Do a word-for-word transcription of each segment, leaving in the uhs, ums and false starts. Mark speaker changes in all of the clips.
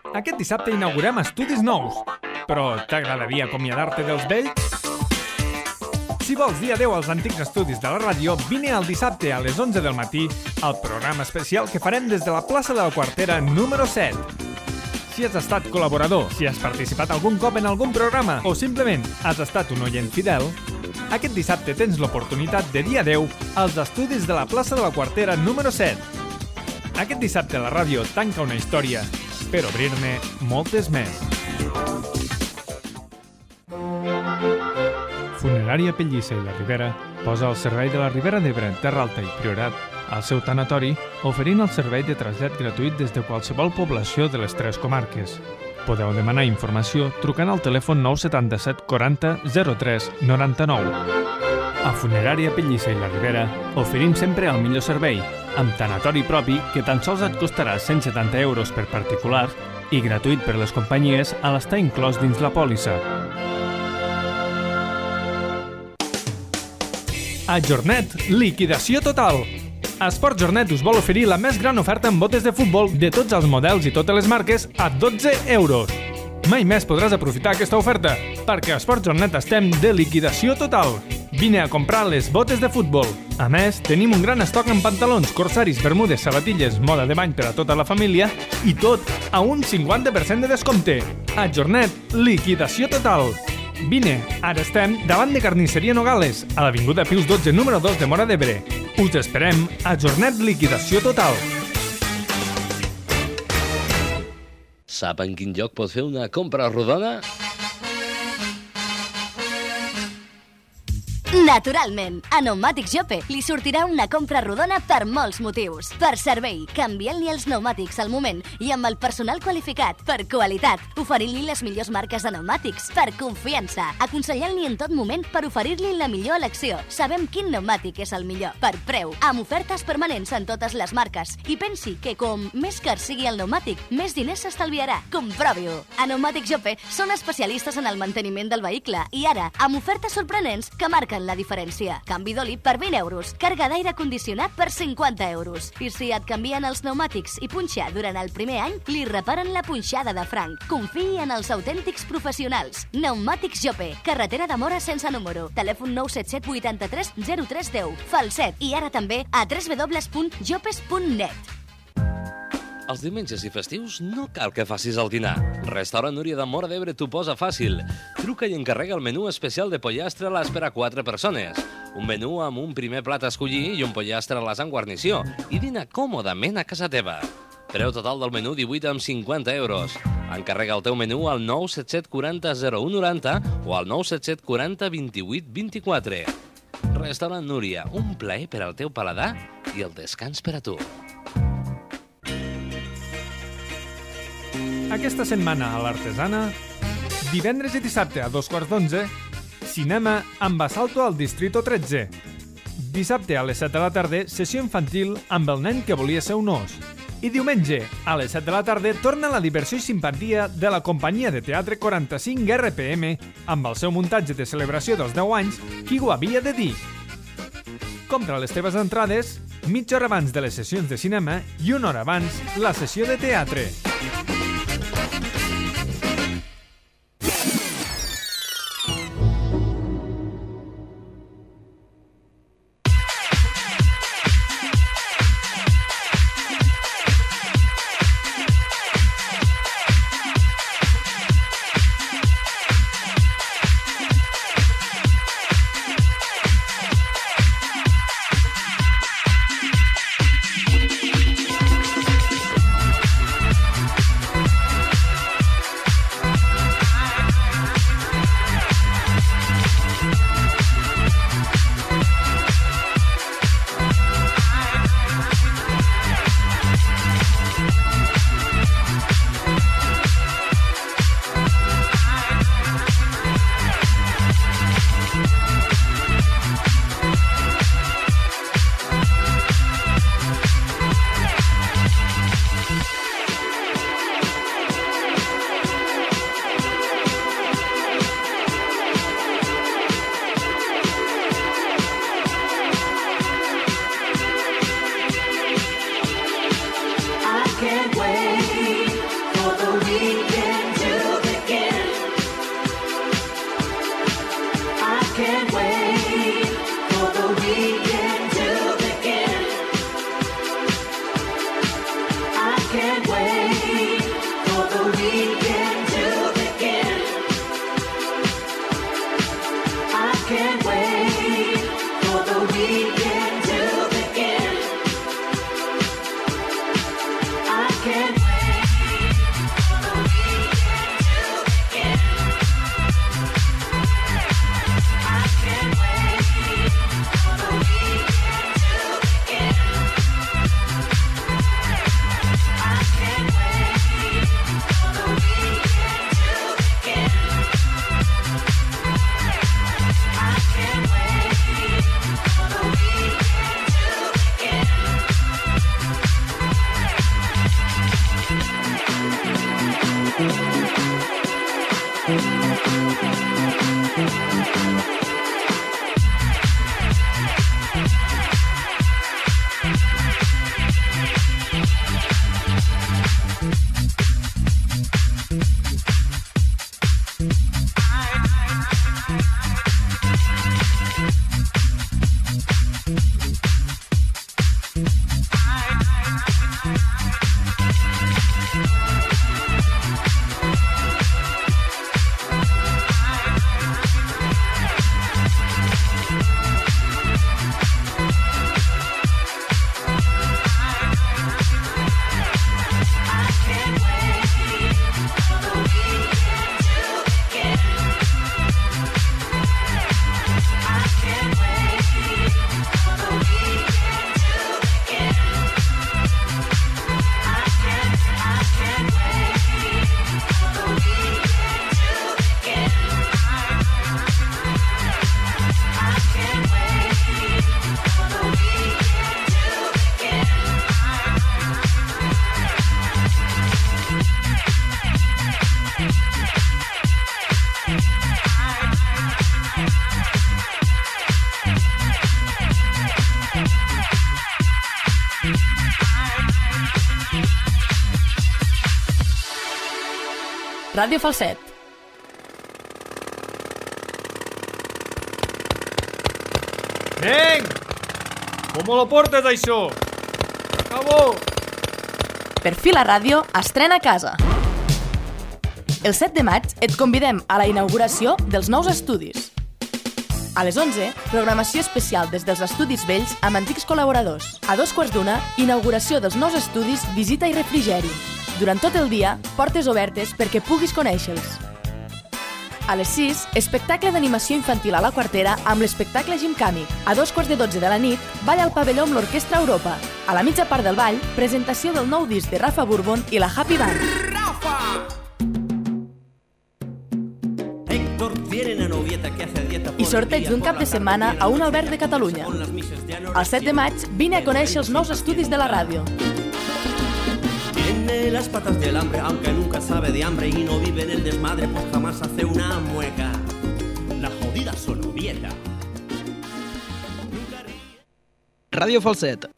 Speaker 1: Aquest dissabte inaugurem estudis nous. Però t'agradaria acomiadar-te dels vells? Si vols dir adeu als antics estudis de la ràdio, vine el dissabte a les onze del matí al programa especial que farem des de la plaça de la Quartera número set. Si has estat col·laborador, si has participat algun cop en algun programa o simplement has estat un oient fidel, aquest dissabte tens l'oportunitat de dir adeu als estudis de la plaça de la Quartera número set. Aquest dissabte la ràdio tanca una història per obrir-ne moltes més. Funerària Pellissa i la Ribera posa al servei de la Ribera d'Ebre, Terra Alta i Priorat al seu tanatori, oferint el servei de trasllat gratuït des de qualsevol població de les tres comarques. Podeu demanar informació trucant al telèfon nou set set quaranta zero tres noranta-nou. A Funerària Pellissa i la Ribera oferim sempre el millor servei, amb tanatori propi que tan sols et costarà cent setanta euros per particular i gratuït per les companyies a l'estar inclòs dins la pòlissa. A Jornet, liquidació total! Esport Jornet us vol oferir la més gran oferta en botes de futbol de tots els models i totes les marques a dotze euros. Mai més podràs aprofitar aquesta oferta, perquè a Esport Jornet estem de liquidació total. Vine a comprar les botes de futbol. A més, tenim un gran estoc en pantalons, corsaris, bermudes, sabatilles, moda de bany per a tota la família i tot a un cinquanta per cent de descompte. A Jornet, liquidació total! Vine, ara estem davant de Carnisseria Nogales, a l'avinguda Pius dotze, número dos de Móra d'Ebre. Us esperem a Jornet Liquidació Total.
Speaker 2: Sap en quin lloc pot fer una compra rodona?
Speaker 3: Naturalment, a Pneumàtics Jope li sortirà una compra rodona per molts motius. Per servei, canviant-li els pneumàtics al moment i amb el personal qualificat. Per qualitat, oferint-li les millors marques de pneumàtics. Per confiança, aconsellant-li en tot moment per oferir-li la millor elecció. Sabem quin pneumàtic és el millor. Per preu, amb ofertes permanents en totes les marques. I pensi que com més car sigui el pneumàtic, més diners s'estalviarà. Comprovi-ho. A Pneumàtics Jope són especialistes en el manteniment del vehicle i ara, amb ofertes sorprenents que marquen la diferència. Canvi d'oli per vint euros, càrrega d'aire condicionat per cinquanta euros. I si et canvien els pneumàtics i punxar durant el primer any, li reparen la punxada de franc. Confiï en els autèntics professionals. Pneumàtics Jope, carretera de Móra sense número. Telèfon nou set set vuitanta-tres zero tres deu. Falset. I ara també a w w w punt jopes punt net.
Speaker 2: Els diumenges i festius no cal que facis el dinar. Restaurant Núria de Móra d'Ebre t'ho posa fàcil. Truca i encarrega el menú especial de pollastre a les per a quatre persones. Un menú amb un primer plat a escollir i un pollastre a les amb guarnició. I dina còmodament a casa teva. Preu total del menú divuit amb cinquanta euros. Encarrega el teu menú al nou set set quaranta zero u noranta o al nou set set quaranta vint-i-vuit vint-i-quatre. Restaurant Núria, un plaer per al teu paladar i el descans per a tu.
Speaker 1: Aquesta setmana a l'Artesana, divendres i dissabte a dos quarts d'onze, cinema amb Assalto al Distrito tretze. Dissabte a les set de la tarda, sessió infantil amb el nen que volia ser un os. I diumenge, a les set de la tarda, torna la diversió i simpatia de la companyia de teatre quaranta-cinc R P M amb el seu muntatge de celebració dels deu anys, Qui ho havia de dir? Compra les teves entrades mitja hora abans de les sessions de cinema i una hora abans la sessió de teatre.
Speaker 4: Ràdio Falset.
Speaker 1: Nen! Com lo portes, això? Acabó!
Speaker 4: Per fi la ràdio estrena a casa. El set de maig et convidem a la inauguració dels nous estudis. A les onze, programació especial des dels estudis vells amb antics col·laboradors. A dos quarts d'una, inauguració dels nous estudis, visita i refrigeri. Durant tot el dia, portes obertes perquè puguis conèixer-los. A les sis, espectacle d'animació infantil a la Quartera amb l'espectacle Gimcàmic. A dos quarts de dotze de la nit, ball al pavelló amb l'Orquestra Europa. A la mitja part del ball, presentació del nou disc de Rafa Bourbon i la Happy Band. Rafa! I sorteig d'un cap de setmana a un alberg de Catalunya. El set de maig, vine a conèixer els nous estudis de la ràdio.
Speaker 5: Tiene las patas del hambre, aunque nunca sabe de hambre y no vive en el desmadre, pues jamás hace una mueca. La jodida sonovieta.
Speaker 6: Ràdio Falset.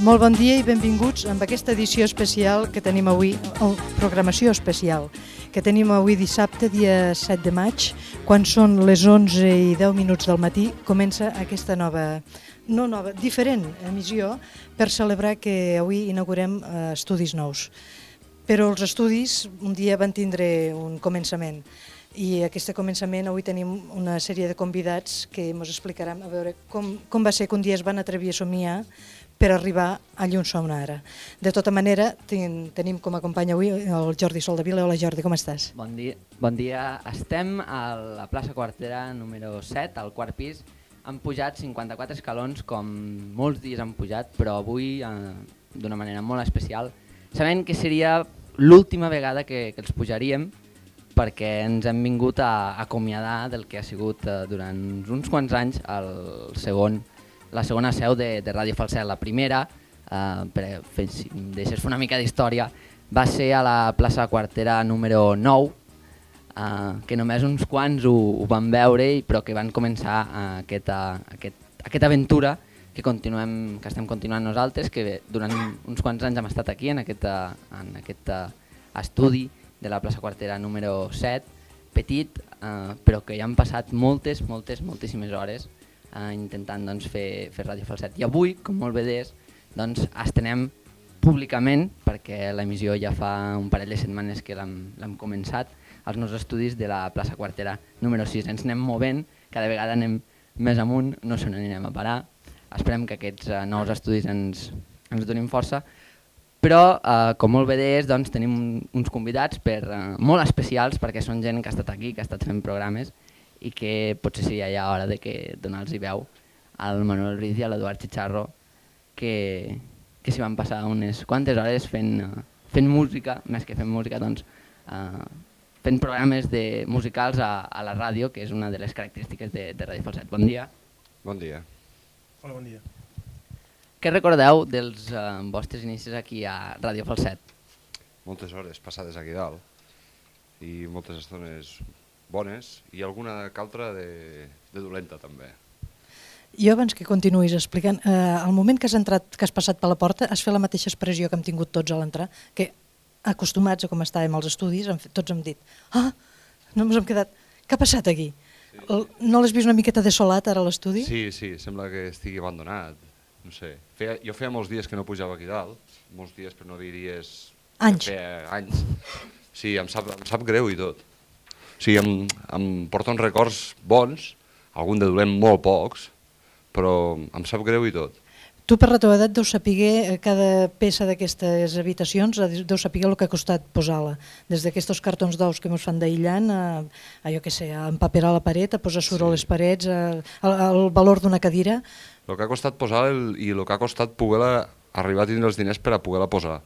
Speaker 7: Molt bon dia i benvinguts amb aquesta edició especial que tenim avui, o programació especial, que tenim avui dissabte, dia set de maig, quan són les onze i deu minuts del matí, comença aquesta nova, no nova, diferent emissió per celebrar que avui inaugurem eh, estudis nous. Però els estudis un dia van tindre un començament i aquest començament avui tenim una sèrie de convidats que ens explicaran a veure com, com va ser que un dia es van atrevir a somiar per arribar allà on som ara. De tota manera, ten, tenim com a company avui el Jordi Soldevila. Hola Jordi, com estàs?
Speaker 8: Bon dia. Bon dia. Estem a la plaça Quartera número set, al quart pis. Han pujat cinquanta-quatre escalons, com molts dies han pujat, però avui eh, d'una manera molt especial, sabent que seria l'última vegada que, que els pujaríem, perquè ens hem vingut a, a acomiadar del que ha sigut eh, durant uns quants anys el segon la segona seu de, de Ràdio Falset. La primera, eh, per fer, si em deixes fer una mica d'història, va ser a la plaça Quartera número nou, eh, que només uns quants ho, ho van veure, però que van començar eh, aquesta, aquest, aquesta aventura que, continuem, que estem continuant nosaltres, que durant uns quants anys hem estat aquí, en aquest, en aquest estudi de la plaça Quartera número set, petit, eh, però que ja han passat moltes, moltes, moltíssimes hores Uh, intentant doncs, fer, fer Ràdio Falset. I avui, com molt bé deies, doncs, estrenem públicament, perquè l'emissió ja fa un parell de setmanes que l'hem començat, als nous estudis de la plaça Quartera número sis. Ens anem movent, cada vegada anem més amunt, no se n'anem a parar. Esperem que aquests uh, nous estudis ens, ens donin força, però, uh, com molt bé deies, doncs, tenim uns convidats per, uh, molt especials, perquè són gent que ha estat aquí, que ha estat fent programes, i que potser seria ja hora de que donar-los veu al Manuel Ruiz i a l'Eduard Chicharro, que, que s'hi van passar unes quantes hores fent, uh, fent música, més que fent música, doncs, uh, fent programes de musicals a, a la ràdio, que és una de les característiques de, de Ràdio Falset. Bon dia.
Speaker 9: Bon dia.
Speaker 10: Hola, bon dia.
Speaker 8: Què recordeu dels uh, vostres inicis aquí a Ràdio Falset?
Speaker 9: Moltes hores passades aquí dalt i moltes estones bones i alguna caltra de, de dolenta també.
Speaker 7: Jo abans que continuïs explicant, eh, al moment que has entrat, que has passat per la porta, has fet la mateixa expressió que hem tingut tots a l'entrar, que acostumats a com estàvem als estudis, hem fet, tots hem dit, ah, no ens hem quedat, què ha passat aquí? Sí. El, no l'has vist una miqueta desolat ara a l'estudi?
Speaker 9: Sí, sí, sembla que estigui abandonat, no sé. Feia, jo feia molts dies que no pujava aquí dalt, molts dies per no dir dies...
Speaker 7: Anys.
Speaker 9: Feia anys. Sí, em sap, em sap greu i tot. O sigui, em, em porta uns records bons, algun de dolent molt pocs, però em sap greu i tot.
Speaker 7: Tu per la teva edat deus saber cada peça d'aquestes habitacions, deus saber el que ha costat posar-la. Des d'aquests cartons d'ous que ens fan d'aïllant, a, a jo què sé, a empaperar la paret, a posar suro a les parets, a, a, el valor d'una cadira.
Speaker 9: El que ha costat posar el, i el que ha costat poder arribar a tindre els diners per a poder-la posar.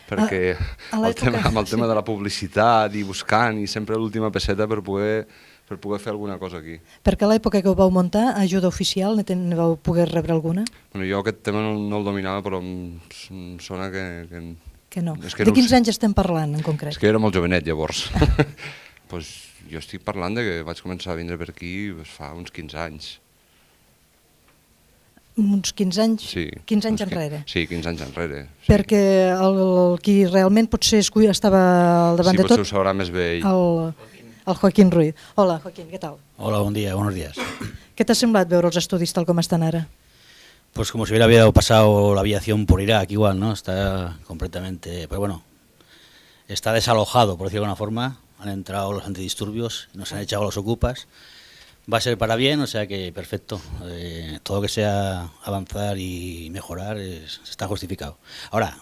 Speaker 9: Perquè a, a el tema, amb el tema sí. de la publicitat i buscant i sempre l'última pesseta per poder... per poder fer alguna cosa aquí.
Speaker 7: Perquè a l'època que ho vau muntar, ajuda oficial, ne vau poder rebre alguna?
Speaker 9: Bueno, jo aquest tema no, no el dominava, però em, em sona que... Que,
Speaker 7: que no.
Speaker 9: Que
Speaker 7: de
Speaker 9: no
Speaker 7: quins anys estem parlant, en concret?
Speaker 9: És que era molt jovenet, llavors. pues, jo estic parlant de que vaig començar a vindre per aquí pues, fa uns quinze anys.
Speaker 7: Uns quinze anys?
Speaker 9: Sí.
Speaker 7: quinze anys enrere?
Speaker 9: Sí, quinze anys enrere. Sí.
Speaker 7: Perquè el, el qui realment potser estava al davant
Speaker 9: sí,
Speaker 7: de tot...
Speaker 9: Sí, potser ho sabrà més bé ell.
Speaker 7: El... El Joaquín Ruiz. Hola, Joaquín, ¿qué tal?
Speaker 11: Hola, buen día, buenos días.
Speaker 7: ¿Qué t'ha semblat veure els estudis tal com estan ara?
Speaker 11: Pues como si hubiera pasado la aviación por Irak, igual, ¿no? Está completamente... Pero bueno, está desalojado, por decirlo de alguna forma. Han entrado los antidisturbios, nos han echado los ocupas. Va a ser para bien, o sea que perfecto. Eh, todo lo que sea avanzar y mejorar es, está justificado. Ahora,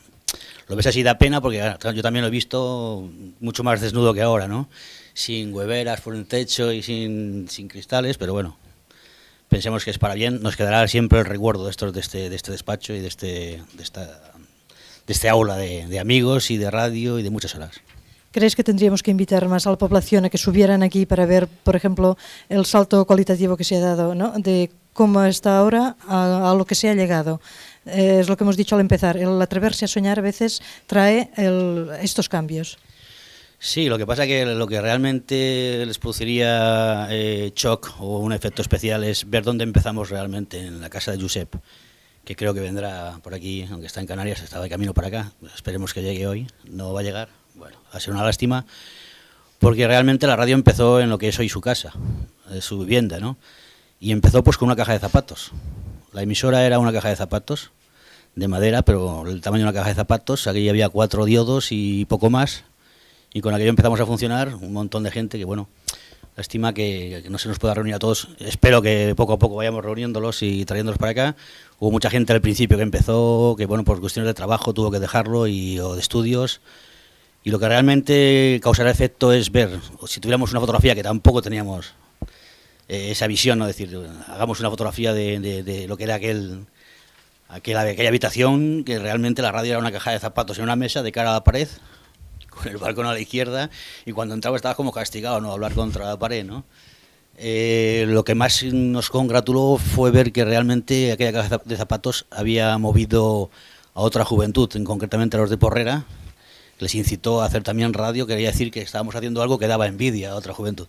Speaker 11: lo ves así da pena porque yo también lo he visto mucho más desnudo que ahora, ¿no? Sin hueveras por el techo y sin, sin cristales, pero bueno, pensemos que es para bien. Nos quedará siempre el recuerdo de, estos, de, este, de este despacho y de este, de esta, de este aula de, de amigos y de radio y de muchas horas.
Speaker 7: ¿Crees que tendríamos que invitar más a la población a que subieran aquí para ver, por ejemplo, el salto cualitativo que se ha dado, ¿no? De cómo está ahora a, a lo que se ha llegado? Eh, es lo que hemos dicho al empezar, el atreverse a soñar a veces trae el, estos cambios.
Speaker 11: Sí, lo que pasa es que lo que realmente les produciría eh, shock o un efecto especial es ver dónde empezamos realmente, en la casa de Josep, que creo que vendrá por aquí, aunque está en Canarias, está de camino para acá, esperemos que llegue hoy, no va a llegar, bueno, va a ser una lástima, porque realmente la radio empezó en lo que es hoy su casa, su vivienda, ¿no? Y empezó pues con una caja de zapatos. La emisora era una caja de zapatos, de madera, pero el tamaño de una caja de zapatos, aquí había cuatro diodos y poco más, y con aquello empezamos a funcionar, un montón de gente que, bueno, lástima que, que no se nos pueda reunir a todos. Espero que poco a poco vayamos reuniéndolos y trayéndolos para acá. Hubo mucha gente al principio que empezó, que, bueno, por cuestiones de trabajo tuvo que dejarlo y, o de estudios. Y lo que realmente causará efecto es ver, si tuviéramos una fotografía, que tampoco teníamos eh, esa visión, ¿no? Es decir, hagamos una fotografía de, de, de lo que era aquel, aquel, aquella habitación, que realmente la radio era una caja de zapatos en una mesa de cara a la pared, con el balcón a la izquierda, y cuando entraba estaba como castigado, ¿no? Hablar contra la pared, ¿no? Eh, lo que más nos congratuló fue ver que realmente aquella caja de zapatos había movido a otra juventud, en concretamente a los de Porrera, les incitó a hacer también radio, quería decir que estábamos haciendo algo que daba envidia a otra juventud.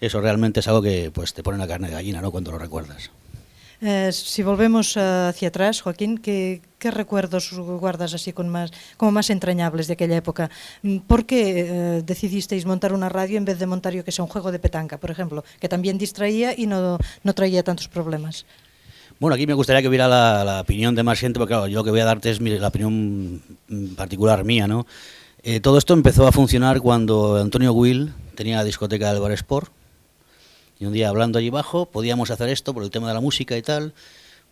Speaker 11: Eso realmente es algo que pues te pone la carne de gallina, ¿no? Cuando lo recuerdas.
Speaker 7: Eh, si volvemos uh, hacia atrás, Joaquín, ¿qué, ¿qué recuerdos guardas así con más, como más entrañables de aquella época? ¿Por qué eh, decidisteis montar una radio en vez de montar, yo que sé, un juego de petanca, por ejemplo, que también distraía y no, no traía tantos problemas?
Speaker 11: Bueno, aquí me gustaría que hubiera la, la opinión de más gente, porque claro, yo lo que voy a darte es mi, la opinión particular mía, ¿no? Eh, todo esto empezó a funcionar cuando Antonio Will tenía la discoteca del Bar Sport. Y un día hablando allí abajo, podíamos hacer esto por el tema de la música y tal.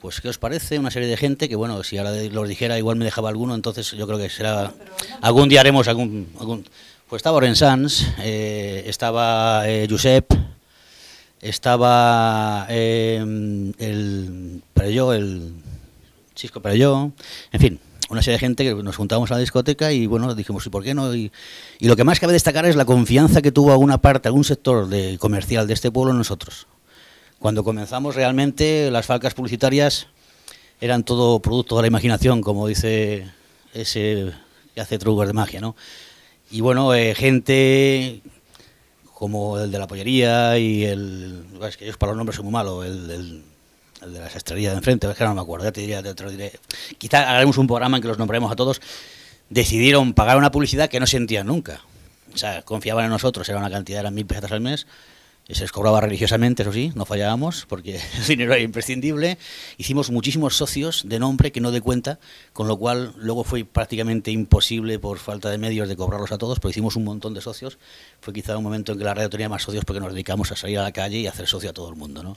Speaker 11: Pues, ¿qué os parece? Una serie de gente que, bueno, si ahora los dijera, igual me dejaba alguno, entonces yo creo que será... Algún día haremos algún... algún pues estaba Oren Sanz, eh, estaba eh, Josep, estaba eh, el Perelló, el Chisco Perelló, en fin, una serie de gente que nos juntábamos a la discoteca y bueno, dijimos, ¿y por qué no? Y, y lo que más cabe destacar es la confianza que tuvo alguna parte, algún sector de, comercial de este pueblo en nosotros. Cuando comenzamos realmente las falcas publicitarias eran todo producto de la imaginación, como dice ese que hace trucos de magia, ¿no? Y bueno, eh, gente como el de la pollería y el... Es que yo para los nombres soy muy malo, el, el, el de la sastrería de enfrente, es que no me acuerdo, ya te, diría, te lo diré. Quizá haremos un programa en que los nombremos a todos. Decidieron pagar una publicidad que no sentían nunca. O sea, confiaban en nosotros, era una cantidad, eran mil pesetas al mes. Y se les cobraba religiosamente, eso sí, no fallábamos, porque el dinero era imprescindible. Hicimos muchísimos socios de nombre que no de cuenta, con lo cual luego fue prácticamente imposible por falta de medios de cobrarlos a todos, pero hicimos un montón de socios. Fue quizá un momento en que la radio tenía más socios porque nos dedicamos a salir a la calle y a hacer socio a todo el mundo, ¿no?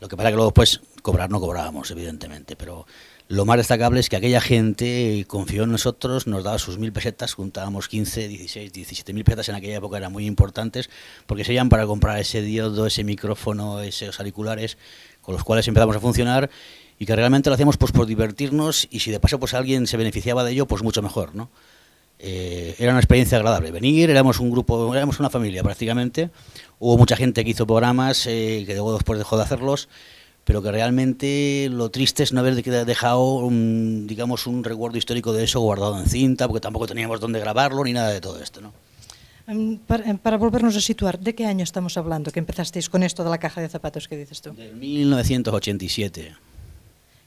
Speaker 11: Lo que pasa que luego pues cobrar no cobrábamos, evidentemente, pero lo más destacable es que aquella gente confió en nosotros, nos daba sus mil pesetas, juntábamos quince, dieciséis, diecisiete mil pesetas en aquella época, eran muy importantes, porque serían para comprar ese diodo, ese micrófono, esos auriculares, con los cuales empezamos a funcionar, y que realmente lo hacíamos pues por divertirnos, y si de paso pues alguien se beneficiaba de ello, pues mucho mejor, ¿no? Eh, era una experiencia agradable. Venir, éramos un grupo, éramos una familia prácticamente, hubo mucha gente que hizo programas, eh, que luego después dejó de hacerlos, pero que realmente lo triste es no haber dejado un, digamos, un recuerdo histórico de eso guardado en cinta, porque tampoco teníamos dónde grabarlo ni nada de todo esto, ¿no?
Speaker 7: Para, para volvernos a situar, ¿de qué año estamos hablando que empezasteis con esto de la caja de zapatos que dices tú?
Speaker 11: Del mil novecientos ochenta y siete.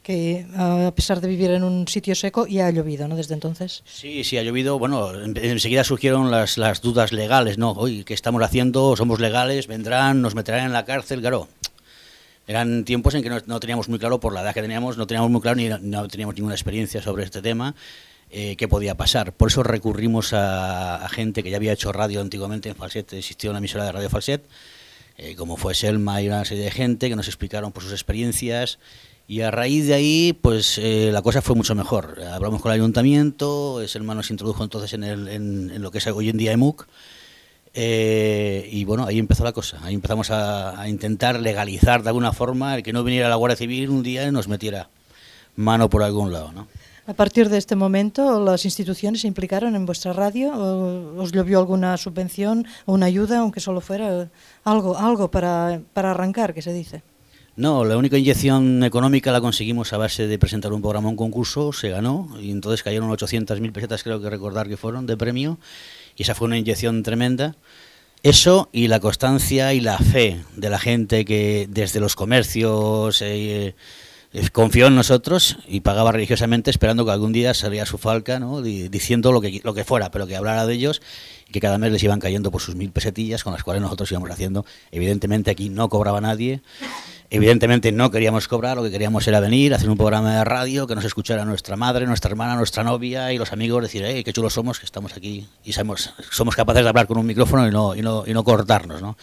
Speaker 7: Que a pesar de vivir en un sitio seco, ya ha llovido, ¿no? Desde entonces.
Speaker 11: Sí, sí, ha llovido. Bueno, enseguida surgieron las, las dudas legales, ¿no? Oye, ¿qué estamos haciendo? ¿Somos legales? ¿Vendrán? ¿Nos meterán en la cárcel? Claro. Eran tiempos en que no, no teníamos muy claro, por la edad que teníamos, no teníamos muy claro ni no teníamos ninguna experiencia sobre este tema, eh, qué podía pasar. Por eso recurrimos a, a gente que ya había hecho radio antiguamente en Falset, existía una emisora de radio Falset, eh, como fue Selma y una serie de gente que nos explicaron pues, sus experiencias, y a raíz de ahí pues eh, la cosa fue mucho mejor. Hablamos con el ayuntamiento, Selma nos introdujo entonces en, el, en, en lo que es hoy en día E M U C, Eh, y bueno, ahí empezó la cosa, ahí empezamos a, a intentar legalizar de alguna forma el que no viniera la Guardia Civil un día y nos metiera mano por algún lado, ¿no?
Speaker 7: A partir de este momento, ¿las instituciones se implicaron en vuestra radio? ¿O ¿Os llovió alguna subvención o una ayuda, aunque solo fuera algo, algo para, para arrancar, que se dice?
Speaker 11: No, la única inyección económica la conseguimos a base de presentar un programa, un concurso, se ganó, y entonces cayeron ochocientas mil pesetas, creo que recordar que fueron, de premio. Y esa fue una inyección tremenda. Eso y la constancia y la fe de la gente que desde los comercios eh, eh, confió en nosotros y pagaba religiosamente esperando que algún día saliera su falca, ¿no? Diciendo lo que, lo que fuera, pero que hablara de ellos y que cada mes les iban cayendo por sus mil pesetillas con las cuales nosotros íbamos haciendo. Evidentemente aquí no cobraba nadie. Evidentemente no queríamos cobrar, lo que queríamos era venir, hacer un programa de radio, que nos escuchara nuestra madre, nuestra hermana, nuestra novia y los amigos, decir, hey, qué chulos somos, que estamos aquí y sabemos, somos capaces de hablar con un micrófono y no, y no, y no cortarnos, ¿no?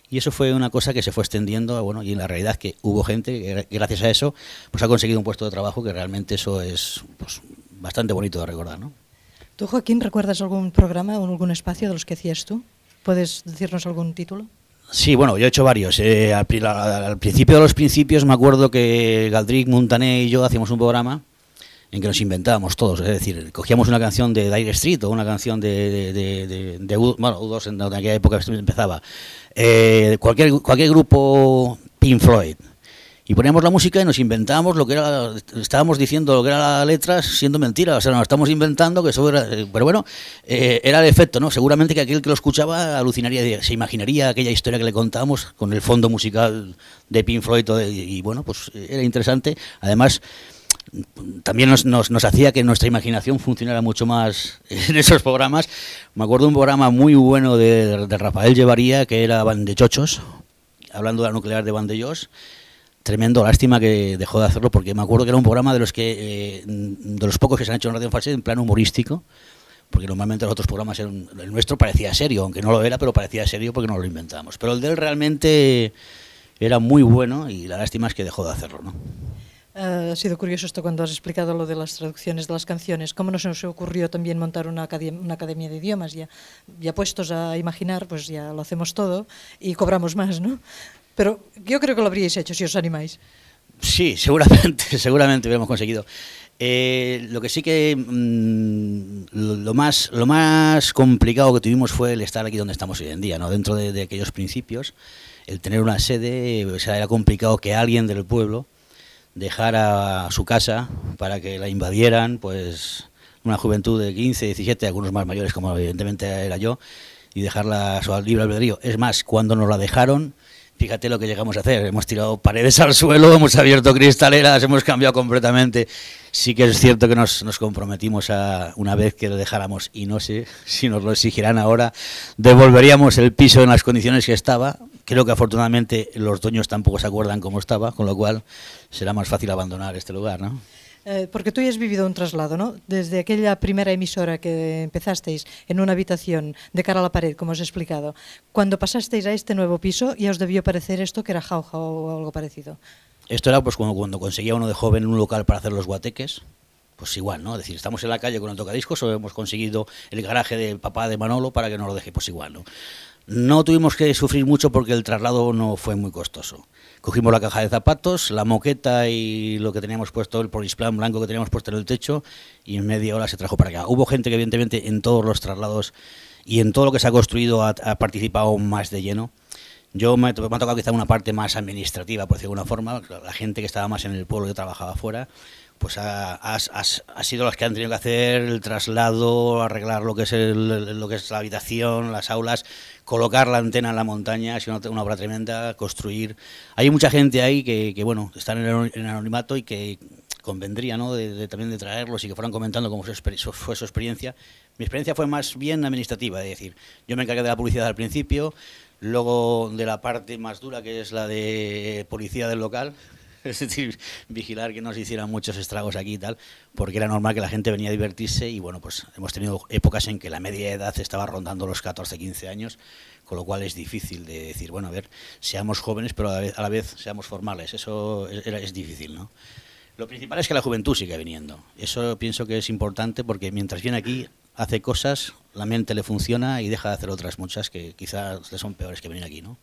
Speaker 11: Y eso fue una cosa que se fue extendiendo, bueno, y en la realidad que hubo gente que gracias a eso pues ha conseguido un puesto de trabajo, que realmente eso es pues, bastante bonito de recordar, ¿no?
Speaker 7: ¿Tú, Joaquín, recuerdas algún programa o algún espacio de los que hacías tú? ¿Puedes decirnos algún título?
Speaker 11: Sí, bueno, yo he hecho varios. Eh, al, al principio de los principios me acuerdo que Galdric, Montané y yo hacíamos un programa en que nos inventábamos todos. Es decir, cogíamos una canción de Dire Street o una canción de, de, de, de, de U, bueno, U dos en aquella época empezaba. Eh, cualquier, cualquier grupo, Pink Floyd. Y poníamos la música y nos inventábamos lo que era, estábamos diciendo lo que era la letra siendo mentira, o sea, nos estamos inventando que eso era, pero bueno, eh, era el efecto, ¿no? Seguramente que aquel que lo escuchaba alucinaría, se imaginaría aquella historia que le contábamos con el fondo musical de Pink Floyd y, y bueno, pues era interesante. Además, también nos, nos, nos hacía que nuestra imaginación funcionara mucho más en esos programas. Me acuerdo de un programa muy bueno de, de Rafael Llevaría, que era Bandechochos, hablando de la nuclear de Vandellós. Tremendo, lástima que dejó de hacerlo, porque me acuerdo que era un programa de los que eh, de los pocos que se han hecho en Radio Falset en plan humorístico, porque normalmente los otros programas eran, el nuestro parecía serio, aunque no lo era, pero parecía serio porque nos lo inventábamos. Pero el de él realmente era muy bueno y la lástima es que dejó de hacerlo, ¿no?
Speaker 7: Uh, ha sido curioso esto cuando has explicado lo de las traducciones de las canciones. ¿Cómo no se nos ocurrió también montar una academia, una academia de idiomas? Ya, ya puestos a imaginar, pues ya lo hacemos todo y cobramos más, ¿no? pero yo creo que lo habríais hecho si os animáis.
Speaker 11: Sí, seguramente, seguramente hubiéramos conseguido. Eh, lo que sí que mmm, lo, lo, más, lo más complicado que tuvimos fue el estar aquí donde estamos hoy en día, ¿no? Dentro de, de aquellos principios, el tener una sede, o sea, era complicado que alguien del pueblo dejara su casa para que la invadieran, pues una juventud de quince, diecisiete, algunos más mayores como evidentemente era yo, y dejarla a su libre albedrío. Es más, cuando nos la dejaron, fíjate lo que llegamos a hacer, hemos tirado paredes al suelo, hemos abierto cristaleras, hemos cambiado completamente. Sí que es cierto que nos, nos comprometimos a, una vez que lo dejáramos, y no sé si nos lo exigirán ahora, devolveríamos el piso en las condiciones que estaba. Creo que afortunadamente los dueños tampoco se acuerdan cómo estaba, con lo cual será más fácil abandonar este lugar, ¿no?
Speaker 7: Eh, porque tú ya has vivido un traslado, ¿no? Desde aquella primera emisora que empezasteis en una habitación de cara a la pared, como os he explicado, cuando pasasteis a este nuevo piso ya os debió parecer esto que era jauja o algo parecido.
Speaker 11: Esto era pues cuando, cuando conseguía uno de joven un local para hacer los guateques, pues igual, ¿no? Es decir, estamos en la calle con el tocadiscos o hemos conseguido el garaje del papá de Manolo para que nos lo deje, pues igual, ¿no? No tuvimos que sufrir mucho porque el traslado no fue muy costoso. Cogimos la caja de zapatos, la moqueta y lo que teníamos puesto, el polisplan blanco que teníamos puesto en el techo, y en media hora se trajo para acá. Hubo gente que evidentemente en todos los traslados y en todo lo que se ha construido ha, ha participado más de lleno. Yo me, me ha tocado quizá una parte más administrativa, por decirlo de alguna forma. La gente que estaba más en el pueblo, que trabajaba afuera, pues ha, ha, ha, ha sido los que han tenido que hacer el traslado, arreglar lo que es el, lo que es la habitación, las aulas, colocar la antena en la montaña, ha sido una, una obra tremenda, construir. Hay mucha gente ahí que, que bueno, están en el, en el anonimato y que convendría, ¿no?, de, de, también de traerlos y que fueran comentando cómo su, fue su experiencia. Mi experiencia fue más bien administrativa, es decir, yo me encargué de la publicidad al principio, luego de la parte más dura, que es la de policía del local, es decir, vigilar que no se hicieran muchos estragos aquí y tal, porque era normal que la gente venía a divertirse y bueno, pues hemos tenido épocas en que la media edad estaba rondando los catorce, quince años, con lo cual es difícil de decir, bueno, a ver, seamos jóvenes pero a la vez, a la vez seamos formales, eso es, es difícil, ¿no? Lo principal es que la juventud siga viniendo, eso pienso que es importante porque mientras viene aquí hace cosas, la mente le funciona y deja de hacer otras muchas que quizás le son peores que venir aquí, ¿no?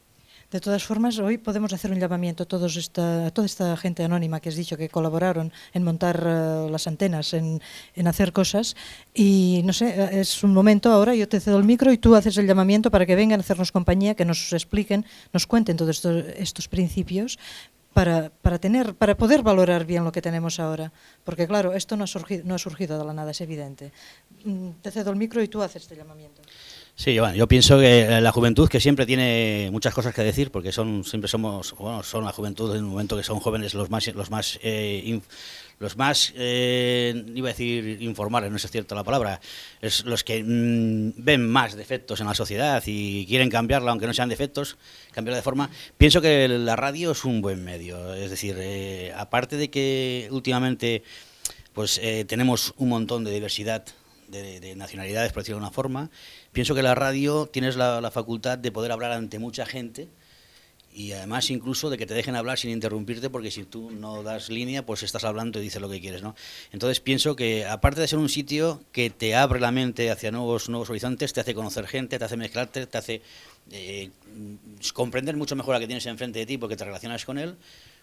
Speaker 7: De todas formas, hoy podemos hacer un llamamiento a, todos esta, a toda esta gente anónima que has dicho que colaboraron en montar uh, las antenas, en, en hacer cosas. Y no sé, es un momento ahora, yo te cedo el micro y tú haces el llamamiento para que vengan a hacernos compañía, que nos expliquen, nos cuenten todos estos, estos principios para, para, tener, para poder valorar bien lo que tenemos ahora. Porque claro, esto no ha surgido, no ha surgido de la nada, es evidente. Te cedo el micro y tú haces este llamamiento.
Speaker 11: Sí, bueno, yo pienso que la juventud, que siempre tiene muchas cosas que decir, porque son siempre somos, bueno, son la juventud en un momento que son jóvenes los más, los más, eh, inf, los más, eh, iba a decir informales, no es cierta la palabra, es los que mmm, ven más defectos en la sociedad y quieren cambiarla, aunque no sean defectos, cambiarla de forma. Pienso que la radio es un buen medio, es decir, eh, aparte de que últimamente, pues eh, tenemos un montón de diversidad de, de nacionalidades, por decirlo de una forma. Pienso que la radio tienes la, la facultad de poder hablar ante mucha gente y además incluso de que te dejen hablar sin interrumpirte, porque si tú no das línea, pues estás hablando y dices lo que quieres, ¿no? Entonces pienso que aparte de ser un sitio que te abre la mente hacia nuevos, nuevos horizontes, te hace conocer gente, te hace mezclarte, te hace eh, comprender mucho mejor a que tienes enfrente de ti porque te relacionas con él,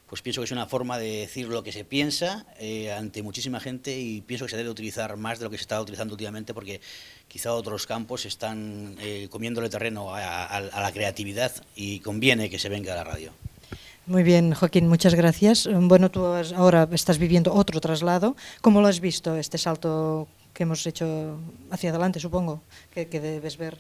Speaker 11: pues pienso que es una forma de decir lo que se piensa eh, ante muchísima gente y pienso que se debe utilizar más de lo que se está utilizando últimamente porque quizá otros campos están eh, comiéndole terreno a, a, a la creatividad y conviene que se venga a la radio.
Speaker 7: Muy bien, Joaquín, muchas gracias. Bueno, tú has, ahora estás viviendo otro traslado. ¿Cómo lo has visto, este salto que hemos hecho hacia adelante, supongo, que, que debes ver?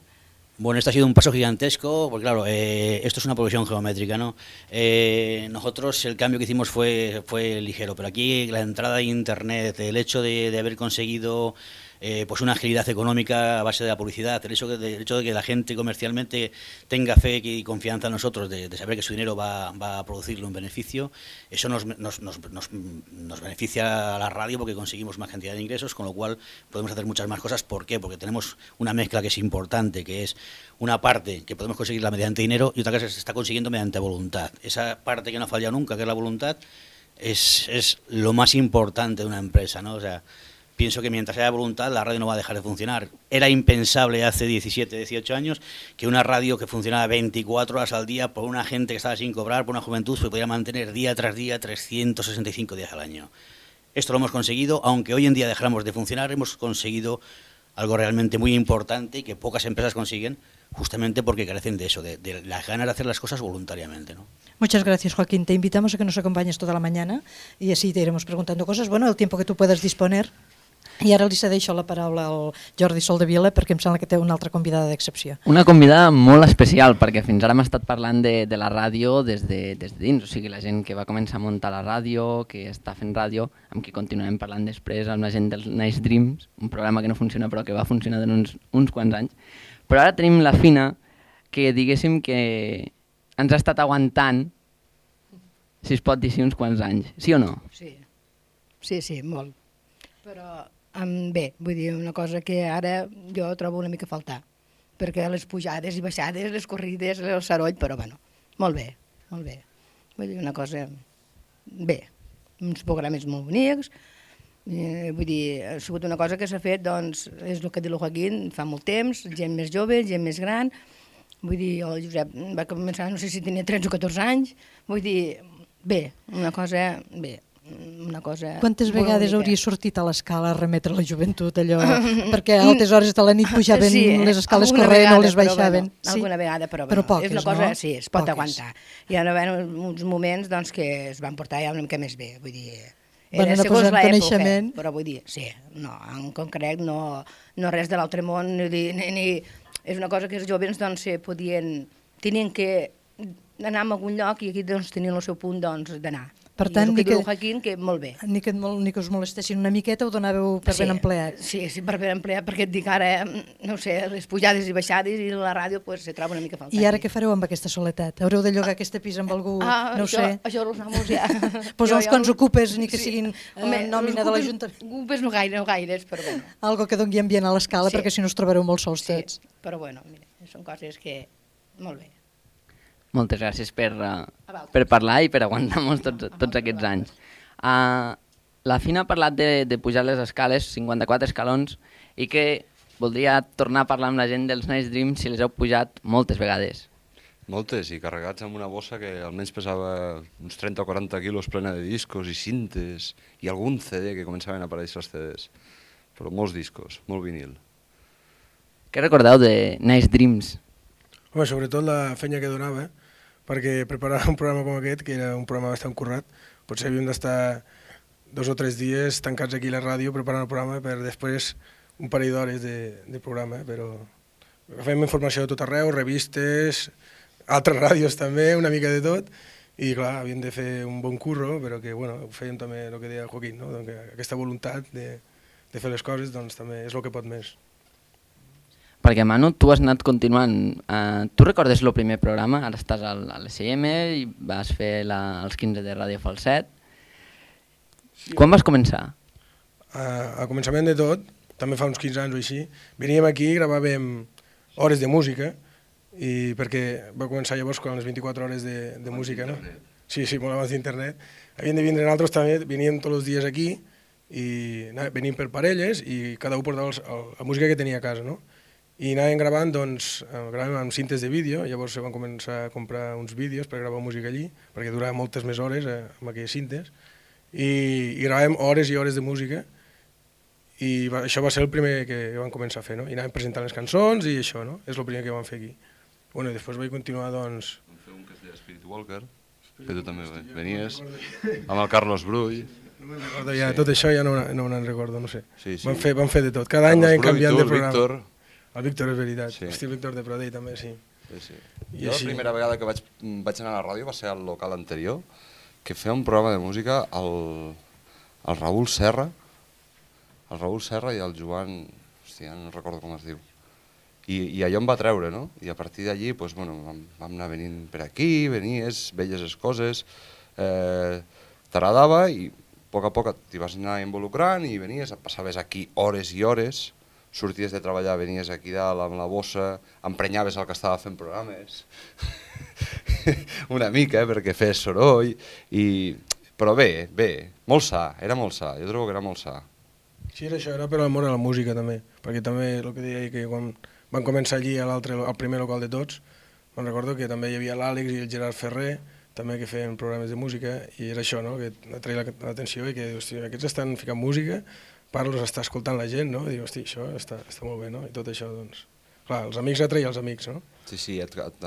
Speaker 11: Bueno, esto ha sido un paso gigantesco, porque claro, eh, esto es una progresión geométrica, ¿no? Eh, nosotros el cambio que hicimos fue, fue ligero, pero aquí la entrada de Internet, el hecho de, de haber conseguido eh, pues una agilidad económica a base de la publicidad, el hecho, de, el hecho de que la gente comercialmente tenga fe y confianza en nosotros, de, de saber que su dinero va, va a producirle un beneficio, eso nos, nos, nos, nos, nos beneficia a la radio porque conseguimos más cantidad de ingresos, con lo cual podemos hacer muchas más cosas. ¿Por qué? Porque tenemos una mezcla que es importante, que es una parte que podemos conseguirla mediante dinero y otra que se está consiguiendo mediante voluntad. Esa parte que no ha fallado nunca, que es la voluntad, es, es lo más importante de una empresa, ¿no? O sea, pienso que mientras haya voluntad la radio no va a dejar de funcionar. Era impensable hace diecisiete, dieciocho años que una radio que funcionaba veinticuatro horas al día por una gente que estaba sin cobrar, por una juventud, se pudiera mantener día tras día trescientos sesenta y cinco días al año. Esto lo hemos conseguido, aunque hoy en día dejáramos de funcionar, hemos conseguido algo realmente muy importante y que pocas empresas consiguen, justamente porque carecen de eso, de, de las ganas de hacer las cosas voluntariamente, ¿no?
Speaker 7: Muchas gracias, Joaquín. Te invitamos a que nos acompañes toda la mañana y así te iremos preguntando cosas, bueno, el tiempo que tú puedas disponer. I ara li cedeixo la paraula al Jordi Soldevila perquè em sembla que té una altra convidada d'excepció.
Speaker 8: Una convidada molt especial, perquè fins ara hem estat parlant de, de la ràdio des de, des de dins, o sigui, la gent que va començar a muntar la ràdio, que està fent ràdio, amb qui continuem parlant després, amb la gent dels Nice Dreams, un programa que no funciona però que va funcionar en uns, uns quants anys. Però ara tenim la Fina, que diguéssim que ens ha estat aguantant, si es pot dir així, uns quants anys, sí o no?
Speaker 10: Sí, sí, sí, molt. Però um, bé, vull dir, una cosa que ara jo trobo una mica a faltar, perquè les pujades i baixades, les corrides, el soroll, però bueno, molt bé, molt bé. Vull dir, una cosa, bé, uns programes molt bonics, eh, vull dir, ha sigut una cosa que s'ha fet, doncs, és el que diu el Joaquín, fa molt temps, gent més jove, gent més gran, vull dir, el Josep va començar, no sé si tenia tretze o catorze anys, vull dir, bé, una cosa, bé, una cosa...
Speaker 7: Quantes vegades hauria sortit a l'escala a remetre la joventut, allò? Perquè a altes hores de la nit pujaven
Speaker 10: sí,
Speaker 7: les escales
Speaker 10: corrent
Speaker 7: corrent o les baixaven.
Speaker 10: Bueno, alguna vegada, però,
Speaker 7: però
Speaker 10: bueno,
Speaker 7: poques,
Speaker 10: és una cosa,
Speaker 7: no?
Speaker 10: sí, es pot
Speaker 7: Poques.
Speaker 10: aguantar. Hi ha uns moments doncs, que es van portar ja una mica més bé, vull dir...
Speaker 7: Van
Speaker 10: Era
Speaker 7: anar
Speaker 10: segons
Speaker 7: posant
Speaker 10: l'època,
Speaker 7: coneixement.
Speaker 10: però vull dir, sí, no, en concret no, no res de l'altre món, ni, ni, ni, és una cosa que els joves doncs, podien, tenien que anar a algun lloc i aquí doncs, tenien el seu punt doncs, d'anar.
Speaker 7: Per tant,
Speaker 10: I
Speaker 7: ni
Speaker 10: el que,
Speaker 7: que,
Speaker 10: diu Joaquín, que molt bé.
Speaker 7: Ni que, ni que us molestessin una miqueta ho donàveu per
Speaker 10: sí,
Speaker 7: ben empleat.
Speaker 10: Sí, sí, per ben empleat, perquè et dic ara, no sé, les pujades i baixades i la ràdio pues, se troba una mica faltant.
Speaker 7: I ara què fareu amb aquesta soledat? Haureu de llogar aquest pis amb algú?
Speaker 10: Ah,
Speaker 7: no ho
Speaker 10: això,
Speaker 7: sé.
Speaker 10: això els amos ja...
Speaker 7: Pues uns quants ocupes, ni que
Speaker 10: sí.
Speaker 7: siguin
Speaker 10: Home,
Speaker 7: eh, nòmina de l'Ajuntament.
Speaker 10: Ocupes no gaire, no gaires, però bueno.
Speaker 7: Algo que doni ambient a l'escala,
Speaker 10: Sí.
Speaker 7: perquè si no us trobareu molt sols
Speaker 10: Sí,
Speaker 7: tots.
Speaker 10: però bueno, mira, són coses que... Molt bé.
Speaker 8: Moltes gràcies per, uh, per parlar i per aguantar-nos tots, tots aquests anys. Uh, la Fina ha parlat de, de pujar les escales, cinquanta-quatre escalons, i que voldria tornar a parlar amb la gent dels Nice Dreams si les heu pujat moltes vegades.
Speaker 9: Moltes, i carregats amb una bossa que almenys pesava uns trenta o quaranta quilos plena de discos i cintes, i algun C D que començaven a aparèixer els C Ds. Però molts discos, molt vinil.
Speaker 8: Què recordeu de Nice Dreams?
Speaker 12: Home, sobretot la feina que donava, perquè preparar un programa com aquest, que era un programa bastant currat, potser havíem d'estar dos o tres dies tancats aquí a la ràdio preparant el programa per després un parell d'hores de, de programa, però fèiem informació de tot arreu, revistes, altres ràdios també, una mica de tot, i clar, havíem de fer un bon curro, però que bueno, fèiem també el que deia Joaquín, no? Donc, aquesta voluntat de, de fer les coses doncs, també és el que pot més.
Speaker 8: Perquè, Manu, tu has anat continuant. Uh, tu recordes el primer programa? Ara estàs al, a l'S M i vas fer la, els quinze de Ràdio Falset. Sí. Quan vas començar?
Speaker 12: Uh, a començament de tot, també fa uns quinze anys o així, veníem aquí i gravàvem hores de música, i perquè va començar llavors quan les vint-i-quatre hores de, de música, no? Sí, sí, molt abans d'internet. Havíem de vindre nosaltres també, veníem tots els dies aquí, i veníem per parelles, i cada un portava els, el, la música que tenia a casa, no? I anàvem gravant, doncs, gravàvem amb cintes de vídeo, llavors se van començar a comprar uns vídeos per gravar música allí, perquè durava moltes més hores eh, amb aquelles cintes, i, i gravàvem hores i hores de música, i va, això va ser el primer que vam començar a fer, no? I anàvem presentant les cançons i això, no? És el primer que vam fer aquí. Bueno, i després vaig continuar, doncs...
Speaker 9: Vam fer un que es deia Spirit Walker, que tu també venies, amb el Carlos Brull.
Speaker 12: No me'n recordo ja, tot això ja no, no me'n recordo, no sé.
Speaker 9: Sí, sí.
Speaker 12: Vam fer, vam fer de tot, cada any anàvem canviant de programa.
Speaker 9: Víctor.
Speaker 12: El Víctor és veritat,
Speaker 9: Sí.
Speaker 12: Hosti, el Víctor de Pradell també, sí.
Speaker 9: Sí, sí.
Speaker 12: I
Speaker 9: Jo
Speaker 12: així-
Speaker 9: la primera vegada que vaig, vaig anar a la ràdio va ser al local anterior, que feia un programa de música el, el Raül Serra, el Raül Serra i el Joan, hòstia, no recordo com es diu. I, i allò em va treure, no? I a partir d'allí doncs, bueno, vam, vam anar venint per aquí, venies, veies les coses, eh, t'agradava i a poc a poc t'hi vas anar involucrant i venies, passaves aquí hores i hores, sorties de treballar, venies aquí dalt amb la bossa, emprenyaves el que estava fent programes, una mica, eh, perquè fes soroll, i... però bé, bé, molt sa, era molt sa, jo trobo que era molt sa.
Speaker 12: Sí, era això, era per l'amor a la música també, perquè també el que deia que quan van començar allí a l'altre, al primer local de tots, me'n recordo que també hi havia l'Àlex i el Gerard Ferrer, també que feien programes de música, i era això, no?, que atreia l'atenció i que, hosti, aquests estan ficant música, parlos, està escoltant la gent, no?, i dius, hosti, això està, està molt bé, no?, i tot això, doncs... Clar, els amics atreia els amics, no?
Speaker 9: Sí, sí, et, et,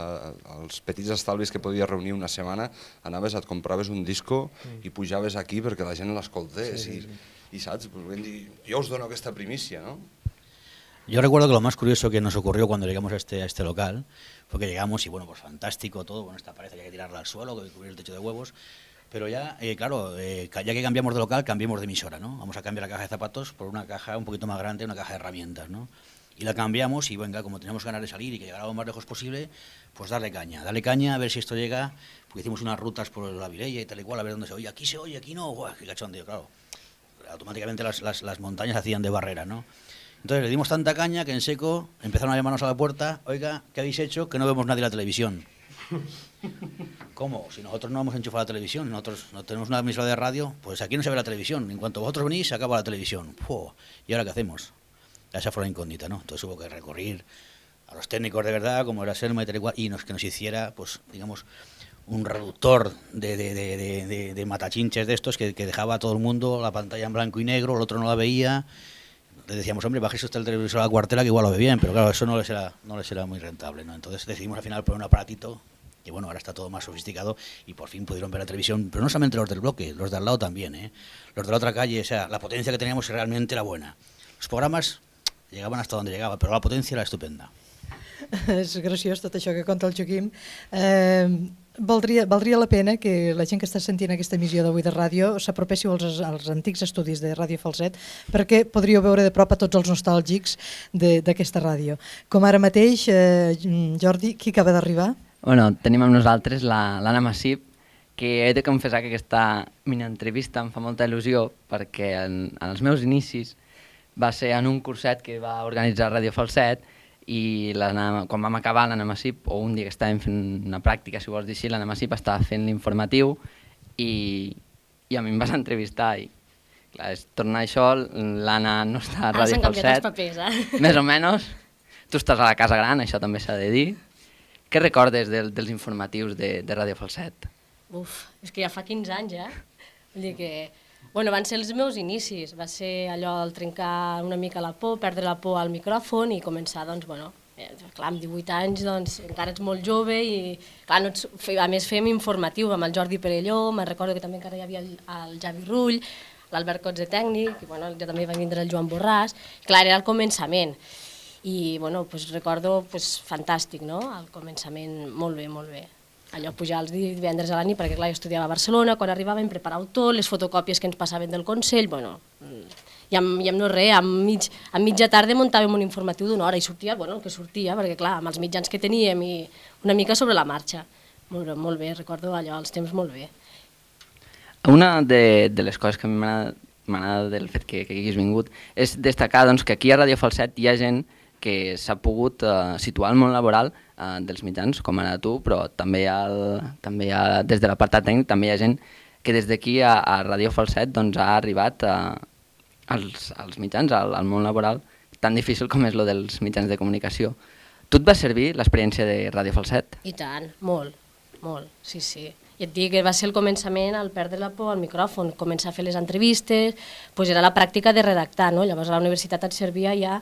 Speaker 9: els petits estalvis que podies reunir una setmana, anaves, et compraves un disco mm. i pujaves aquí perquè la gent l'escoltés, sí, sí, sí. I, i saps, pues, dir, jo us dono aquesta primícia, ¿no?
Speaker 11: Yo recuerdo que lo más curioso que nos ocurrió cuando llegamos a este, a este local fue que llegamos y bueno, pues fantástico todo, bueno, esta pared hay que tirarla al suelo, cubrir el techo de huevos, pero ya, eh, claro, eh, ya que cambiamos de local, cambiamos de emisora, ¿no? Vamos a cambiar la caja de zapatos por una caja un poquito más grande, una caja de herramientas, ¿no? Y la cambiamos y venga, como teníamos ganas de salir y que llegara lo más lejos posible, pues darle caña, darle caña a ver si esto llega, porque hicimos unas rutas por la Vilella y tal y cual, a ver dónde se oye, aquí se oye, aquí no, ¡guau! Qué cachondeo, claro. Automáticamente las, las, las montañas hacían de barrera, ¿no? Entonces le dimos tanta caña que en seco empezaron a llamarnos a la puerta, oiga, ¿qué habéis hecho? Que no vemos nadie en la televisión. ¿Cómo? Si nosotros no hemos enchufado la televisión, nosotros no tenemos una emisora de radio, pues aquí no se ve la televisión. En cuanto vosotros venís, se acaba la televisión. ¡Puh! ¿Y ahora qué hacemos? Esa fue la incógnita, ¿no? Entonces hubo que recurrir a los técnicos de verdad, como era Selma y tal y cual, y nos, que nos hiciera, pues, digamos, un reductor de, de, de, de, de, de matachinches de estos que, que dejaba a todo el mundo la pantalla en blanco y negro, el otro no la veía. Le decíamos, hombre, bajéis usted el televisor a la cuartela que igual lo ve bien, pero claro, eso no les era, no les era muy rentable, ¿no? Entonces decidimos al final poner un aparatito, que bueno, ahora está todo más sofisticado y por fin pudieron ver la televisión, pero no solamente los del bloque, los de al lado también, ¿eh? Los de la otra calle, o sea, la potencia que teníamos realmente era buena. Los programas llegaven hasta donde llegava, però la potència era estupenda.
Speaker 7: És graciós tot això que conta el Joaquim. Eh, valdria, valdria la pena que la gent que està sentint aquesta emissió d'avui de ràdio s'apropéssiu als, als antics estudis de Ràdio Falset, perquè podríeu veure de prop a tots els nostàlgics d'aquesta ràdio. Com ara mateix, eh, Jordi, qui acaba d'arribar?
Speaker 8: Bueno, tenim amb nosaltres l'Anna Massip, que he de confessar que aquesta mini-entrevista em fa molta il·lusió, perquè en, en els meus inicis va ser en un curset que va organitzar Ràdio Falset i quan vam acabar l'Anna Massip, o un dia que estàvem fent una pràctica, si vols dir així, l'Anna Massip estava fent l'informatiu i, i a mi em vas entrevistar i clar, és tornar això, l'Anna no està a Ràdio Falset,
Speaker 13: papers, eh?
Speaker 8: més o menys, tu estàs a la Casa Gran, això també s'ha de dir. Què recordes del, dels informatius de, de Ràdio Falset?
Speaker 13: Uf, és que ja fa quinze anys, eh? Vull dir que... Bueno, van ser els meus inicis, va ser allò del trencar una mica la por, perdre la por al micròfon i començar, doncs, bueno, eh, clar, amb divuit anys, doncs, encara ets molt jove i, clar, no ets, a més fèiem informatiu amb el Jordi Perelló, me'n recordo que també encara hi havia el, el Javi Rull, l'Albert Cotze tècnic, i, bueno, ja també va vindre el Joan Borràs, clar, era el començament, i, bueno, pues, recordo, pues, fantàstic, no?, el començament, molt bé, molt bé. Allò pujar els divendres a la nit, perquè clar, jo estudiava a Barcelona, quan arribàvem preparàvem tot, les fotocòpies que ens passaven del Consell, bueno, i amb, i amb no res, amb, mig, amb mitja tarda muntàvem un informatiu d'una hora i sortia, bueno, el que sortia, perquè clar, amb els mitjans que teníem i una mica sobre la marxa. Molt, molt bé, recordo allò, els temps molt bé.
Speaker 8: Una de, de les coses que a mi m'ha agradat del fet que, que haguis vingut és destacar doncs, que aquí a Ràdio Falset hi ha gent que s'ha pogut uh, situar al món laboral uh, dels mitjans, com ara tu, però també, hi ha el, també hi ha, des de l'apartat tècnic també hi ha gent que des d'aquí a, a Ràdio Falset doncs, ha arribat uh, als, als mitjans, al, al món laboral, tan difícil com és lo dels mitjans de comunicació. Tu et va servir l'experiència de Ràdio Falset?
Speaker 13: I tant, molt, molt, sí, sí. I et dic que va ser el començament al perdre la por al micròfon, començar a fer les entrevistes, doncs era la pràctica de redactar, no? Llavors a la universitat et servia ja...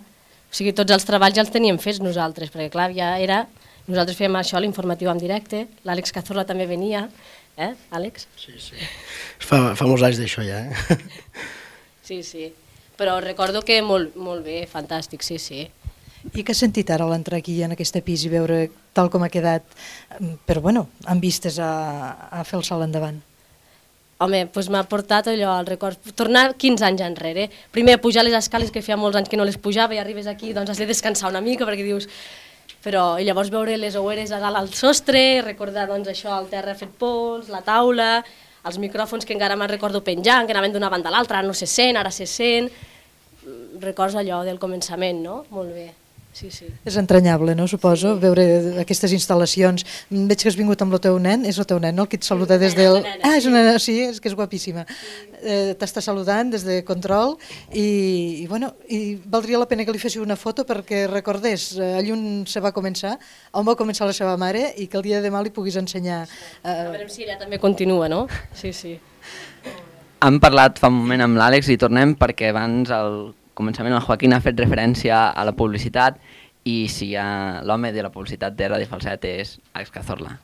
Speaker 13: O sigui, tots els treballs ja els teníem fets nosaltres, perquè clar, ja era... Nosaltres fèiem això, l'informatiu en directe, l'Àlex Cazorla també venia, eh, Àlex?
Speaker 14: Sí, sí. Fa, fa molts anys d'això ja, eh?
Speaker 13: Sí, sí. Però recordo que molt, molt bé, fantàstic, sí, sí.
Speaker 7: I què has sentit ara a l'entrar aquí en aquest pis i veure tal com ha quedat, però bueno, amb vistes a, a fer el salt endavant?
Speaker 13: Home, doncs m'ha portat allò, el record, tornar quinze anys enrere. Primer, pujar les escales, que feia molts anys que no les pujava, i arribes aquí, doncs has de descansar una mica, perquè dius... Però, i llavors veure les oueres a dalt al sostre, recordar, doncs, això, el terra fet pols, la taula, els micròfons que encara me'n recordo penjant, que anaven d'una banda a l'altra, ara no se sent, ara se sent... Records allò del començament, no? Molt bé. Sí, sí.
Speaker 7: És entranyable, no? Suposo, veure aquestes instal·lacions. Veig que has vingut amb el teu nen, és el teu nen, no? El que et saluda des del... Ah, és una nena, sí, és que és guapíssima. Eh, T'està saludant des de control i, i, bueno, i valdria la pena que li féssiu una foto perquè recordés eh, allà on se va començar, on va començar la seva mare i que el dia de demà li puguis ensenyar. Eh...
Speaker 13: A veure si ella també continua, no? Sí, sí.
Speaker 8: Hem parlat fa un moment amb l'Àlex i tornem perquè abans al començament el Joaquín ha fet referència a la publicitat i si ha... l'home de la publicitat de Ràdio Falset és Àlex Cazorla.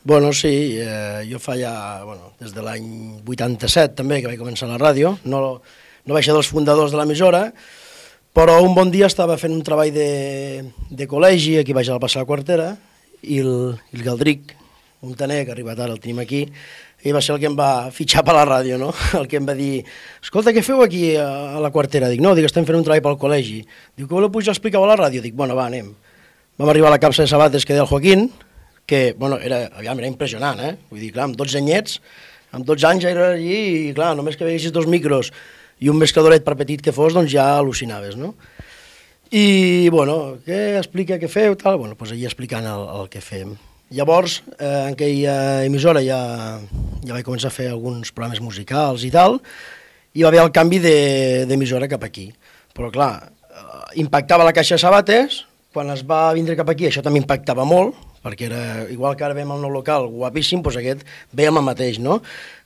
Speaker 14: Bueno, sí, eh, jo fa ja, bueno, des de l'any vuitanta-set també que vaig començar a la ràdio, no, no vaig ser dels fundadors de l'emissora, però un bon dia estava fent un treball de, de col·legi, aquí vaig a la passar la quartera, i el, el Galdric, un taner que ha arribat ara, el tenim aquí, i va ser el que em va fitxar per la ràdio, no? El que em va dir, escolta, què feu aquí a, a la quartera? Dic, no, dic, estem fent un treball pel col·legi. Diu, que voleu pujar a explicar a la ràdio? Dic, bueno, va, anem. Vam arribar a la capsa de sabates que deia el Joaquín, que, bueno, era, aviam, era impressionant, eh? Vull dir, clar, amb dotze anyets, amb dotze anys ja era allí, i clar, només que veiessis dos micros i un mescladoret per petit que fos, doncs ja al·lucinaves, no? I, bueno, què explica, què feu, tal? Bueno, doncs allà explicant el, el que fem. Llavors, eh, en aquella emissora ja, ja vaig començar a fer alguns programes musicals i tal, i va haver el canvi d'emissora cap aquí. Però clar, eh, impactava la caixa de sabates, quan es va vindre cap aquí això també impactava molt, perquè era, igual que ara veiem el nou local guapíssim, doncs aquest veiem el mateix, no?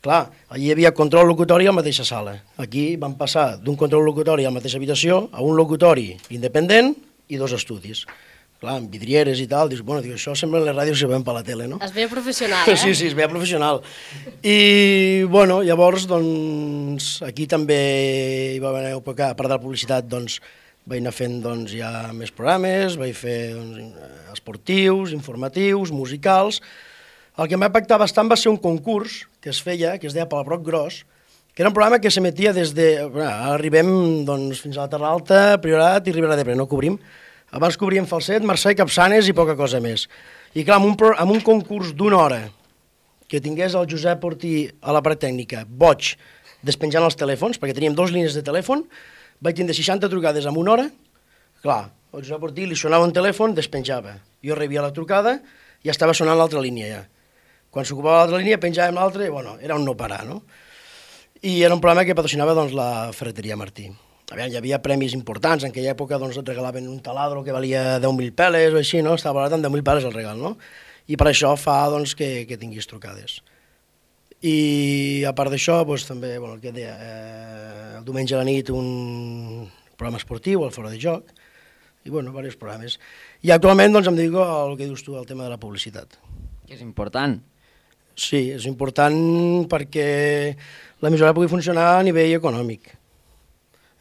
Speaker 14: Clar, allí hi havia control locutori a la mateixa sala. Aquí vam passar d'un control locutori a la mateixa habitació a un locutori independent i dos estudis. Clar, amb vidrieres i tal, dius, bueno, dius, això sembla les ràdios que veiem per la tele, no?
Speaker 13: Es veia professional, eh?
Speaker 14: Sí, sí, es veia professional. I, bueno, llavors, doncs, aquí també hi va haver una època, a part de la publicitat, doncs, vaig anar fent, doncs, ja més programes, vaig fer, doncs, esportius, informatius, musicals. El que em va impactar bastant va ser un concurs que es feia, que es deia Palabrot Gros, que era un programa que s'emetia des de... Bueno, arribem, doncs, fins a la Terra Alta, Priorat i Ribera d'Ebre, no cobrim. Abans cobríem Falset, Mercè, Capçanes i poca cosa més. I clar, amb un, amb un concurs d'una hora que tingués el Josep Ortí a la part tècnica, boig, despenjant els telèfons, perquè teníem dues línies de telèfon, vaig tindre seixanta trucades en una hora, clar, el Josep Ortí li sonava un telèfon, despenjava. Jo rebia la trucada i estava sonant l'altra línia ja. Quan s'ocupava l'altra línia penjàvem l'altra i bueno, era un no parar, no? I era un programa que patrocinava doncs, la Ferreteria Martí. Aviam, hi havia premis importants, en aquella època doncs, et regalaven un taladro que valia deu mil peles o així, no? Estava valorat en deu mil peles el regal, no? I per això fa doncs, que, que tinguis trucades. I a part d'això, doncs, també, bueno, el que deia, eh, el diumenge a la nit un programa esportiu, el Fora de Joc, i bueno, diversos programes. I actualment doncs, em dedico al que dius tu, al tema de la publicitat.
Speaker 8: Que és important.
Speaker 14: Sí, és important perquè l'emissora pugui funcionar a nivell econòmic.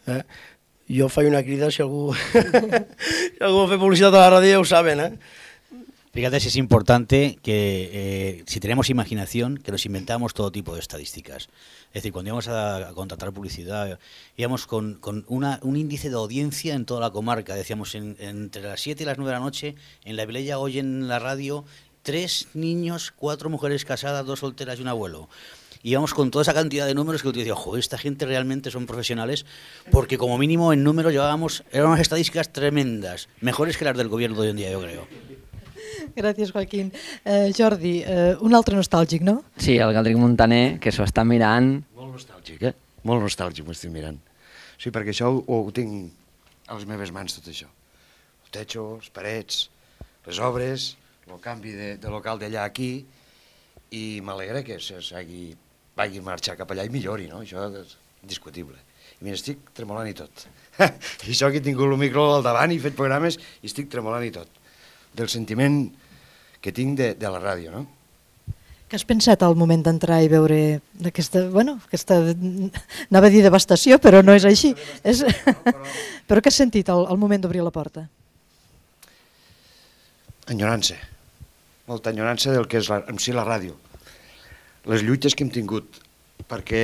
Speaker 14: Eh? Jo faig una crida, si algú, si algú fa publicidad a la radio, ya lo saben, ¿eh?
Speaker 11: Fíjate si es importante que eh, si tenemos imaginación, que nos inventamos todo tipo de estadísticas. Es decir, cuando íbamos a, a contratar publicidad, íbamos con, con una, un índice de audiencia en toda la comarca. Decíamos, en, entre las siete y las nueve de la noche, en la Vilella oyen la radio tres niños, cuatro mujeres casadas, dos solteras y un abuelo. Íbamos con toda esa cantidad de números que yo decía, joder, esta gente realmente son profesionales, porque como mínimo en números llevábamos, eran unas estadísticas tremendas, mejores que las del gobierno de hoy en día, yo creo.
Speaker 7: Gràcies, Joaquín. Eh, Jordi, eh, un altre nostàlgic, no?
Speaker 8: Sí, el Galdric Montaner, que s'ho està mirant.
Speaker 15: Molt nostàlgic, eh? Molt nostàlgic m'ho estic mirant. Sí, perquè això ho, ho tinc a les meves mans, tot això. El techo, les parets, les obres, el canvi de, de local d'allà aquí, i m'alegra que s'hagi vagi marxar cap allà i millori, no? Això és indiscutible. I mira, estic tremolant i tot. I això que he tingut el micro al davant i he fet programes i estic tremolant i tot. Del sentiment que tinc de, de la ràdio, no?
Speaker 7: Què has pensat al moment d'entrar i veure aquesta, bueno, aquesta, anava a dir devastació, però no és així. És... però què has sentit al, al moment d'obrir la porta?
Speaker 15: Enyorança. Molta enyorança del que és la, en si la ràdio. Les lluites que hem tingut, perquè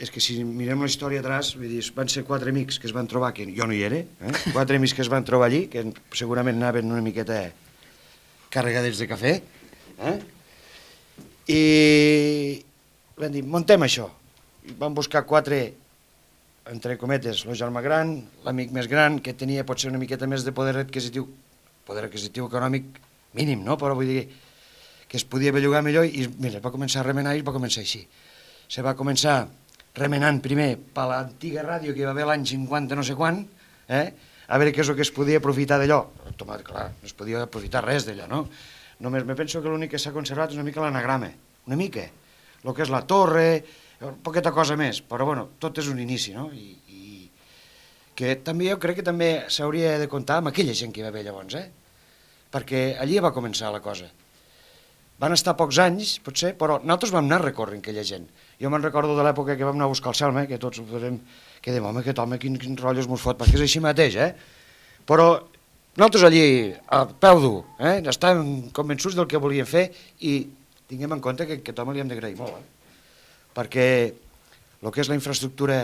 Speaker 15: és que si mirem la història atrás, vull dir, van ser quatre amics que es van trobar, que jo no hi era, eh? Quatre amics que es van trobar allí, que segurament anaven una miqueta carregades de cafè, eh? I van dir, muntem això. I van buscar quatre entre cometes, el germà gran, l'amic més gran, que tenia potser una miqueta més de poder adquisitiu, poder adquisitiu econòmic mínim, no? Però vull dir que es podia bellugar millor i mira, va començar a remenar i va començar així. Se va començar remenant primer per l'antiga ràdio que hi va haver l'any cinquanta no sé quan, eh? A veure què és el que es podia aprofitar d'allò. Clar, no es podia aprofitar res d'allò, no? Només me penso que l'únic que s'ha conservat és una mica l'anagrama, una mica. El que és la torre, poqueta cosa més, però bueno, tot és un inici, no? I, i que també jo crec que també s'hauria de comptar amb aquella gent que hi va haver llavors, eh? Perquè allí va començar la cosa. Van estar pocs anys, potser, però nosaltres vam anar recorrent aquella gent. Jo me'n recordo de l'època que vam anar a buscar el Selma, que tots ho farem, que dèiem, home, aquest home, quins quin rotllos mos fot, perquè és així mateix, eh? Però nosaltres allí, a peu dur, eh? Estàvem convençuts del que volíem fer i tinguem en compte que aquest home li hem d'agrair molt, eh? Perquè el que és la infraestructura,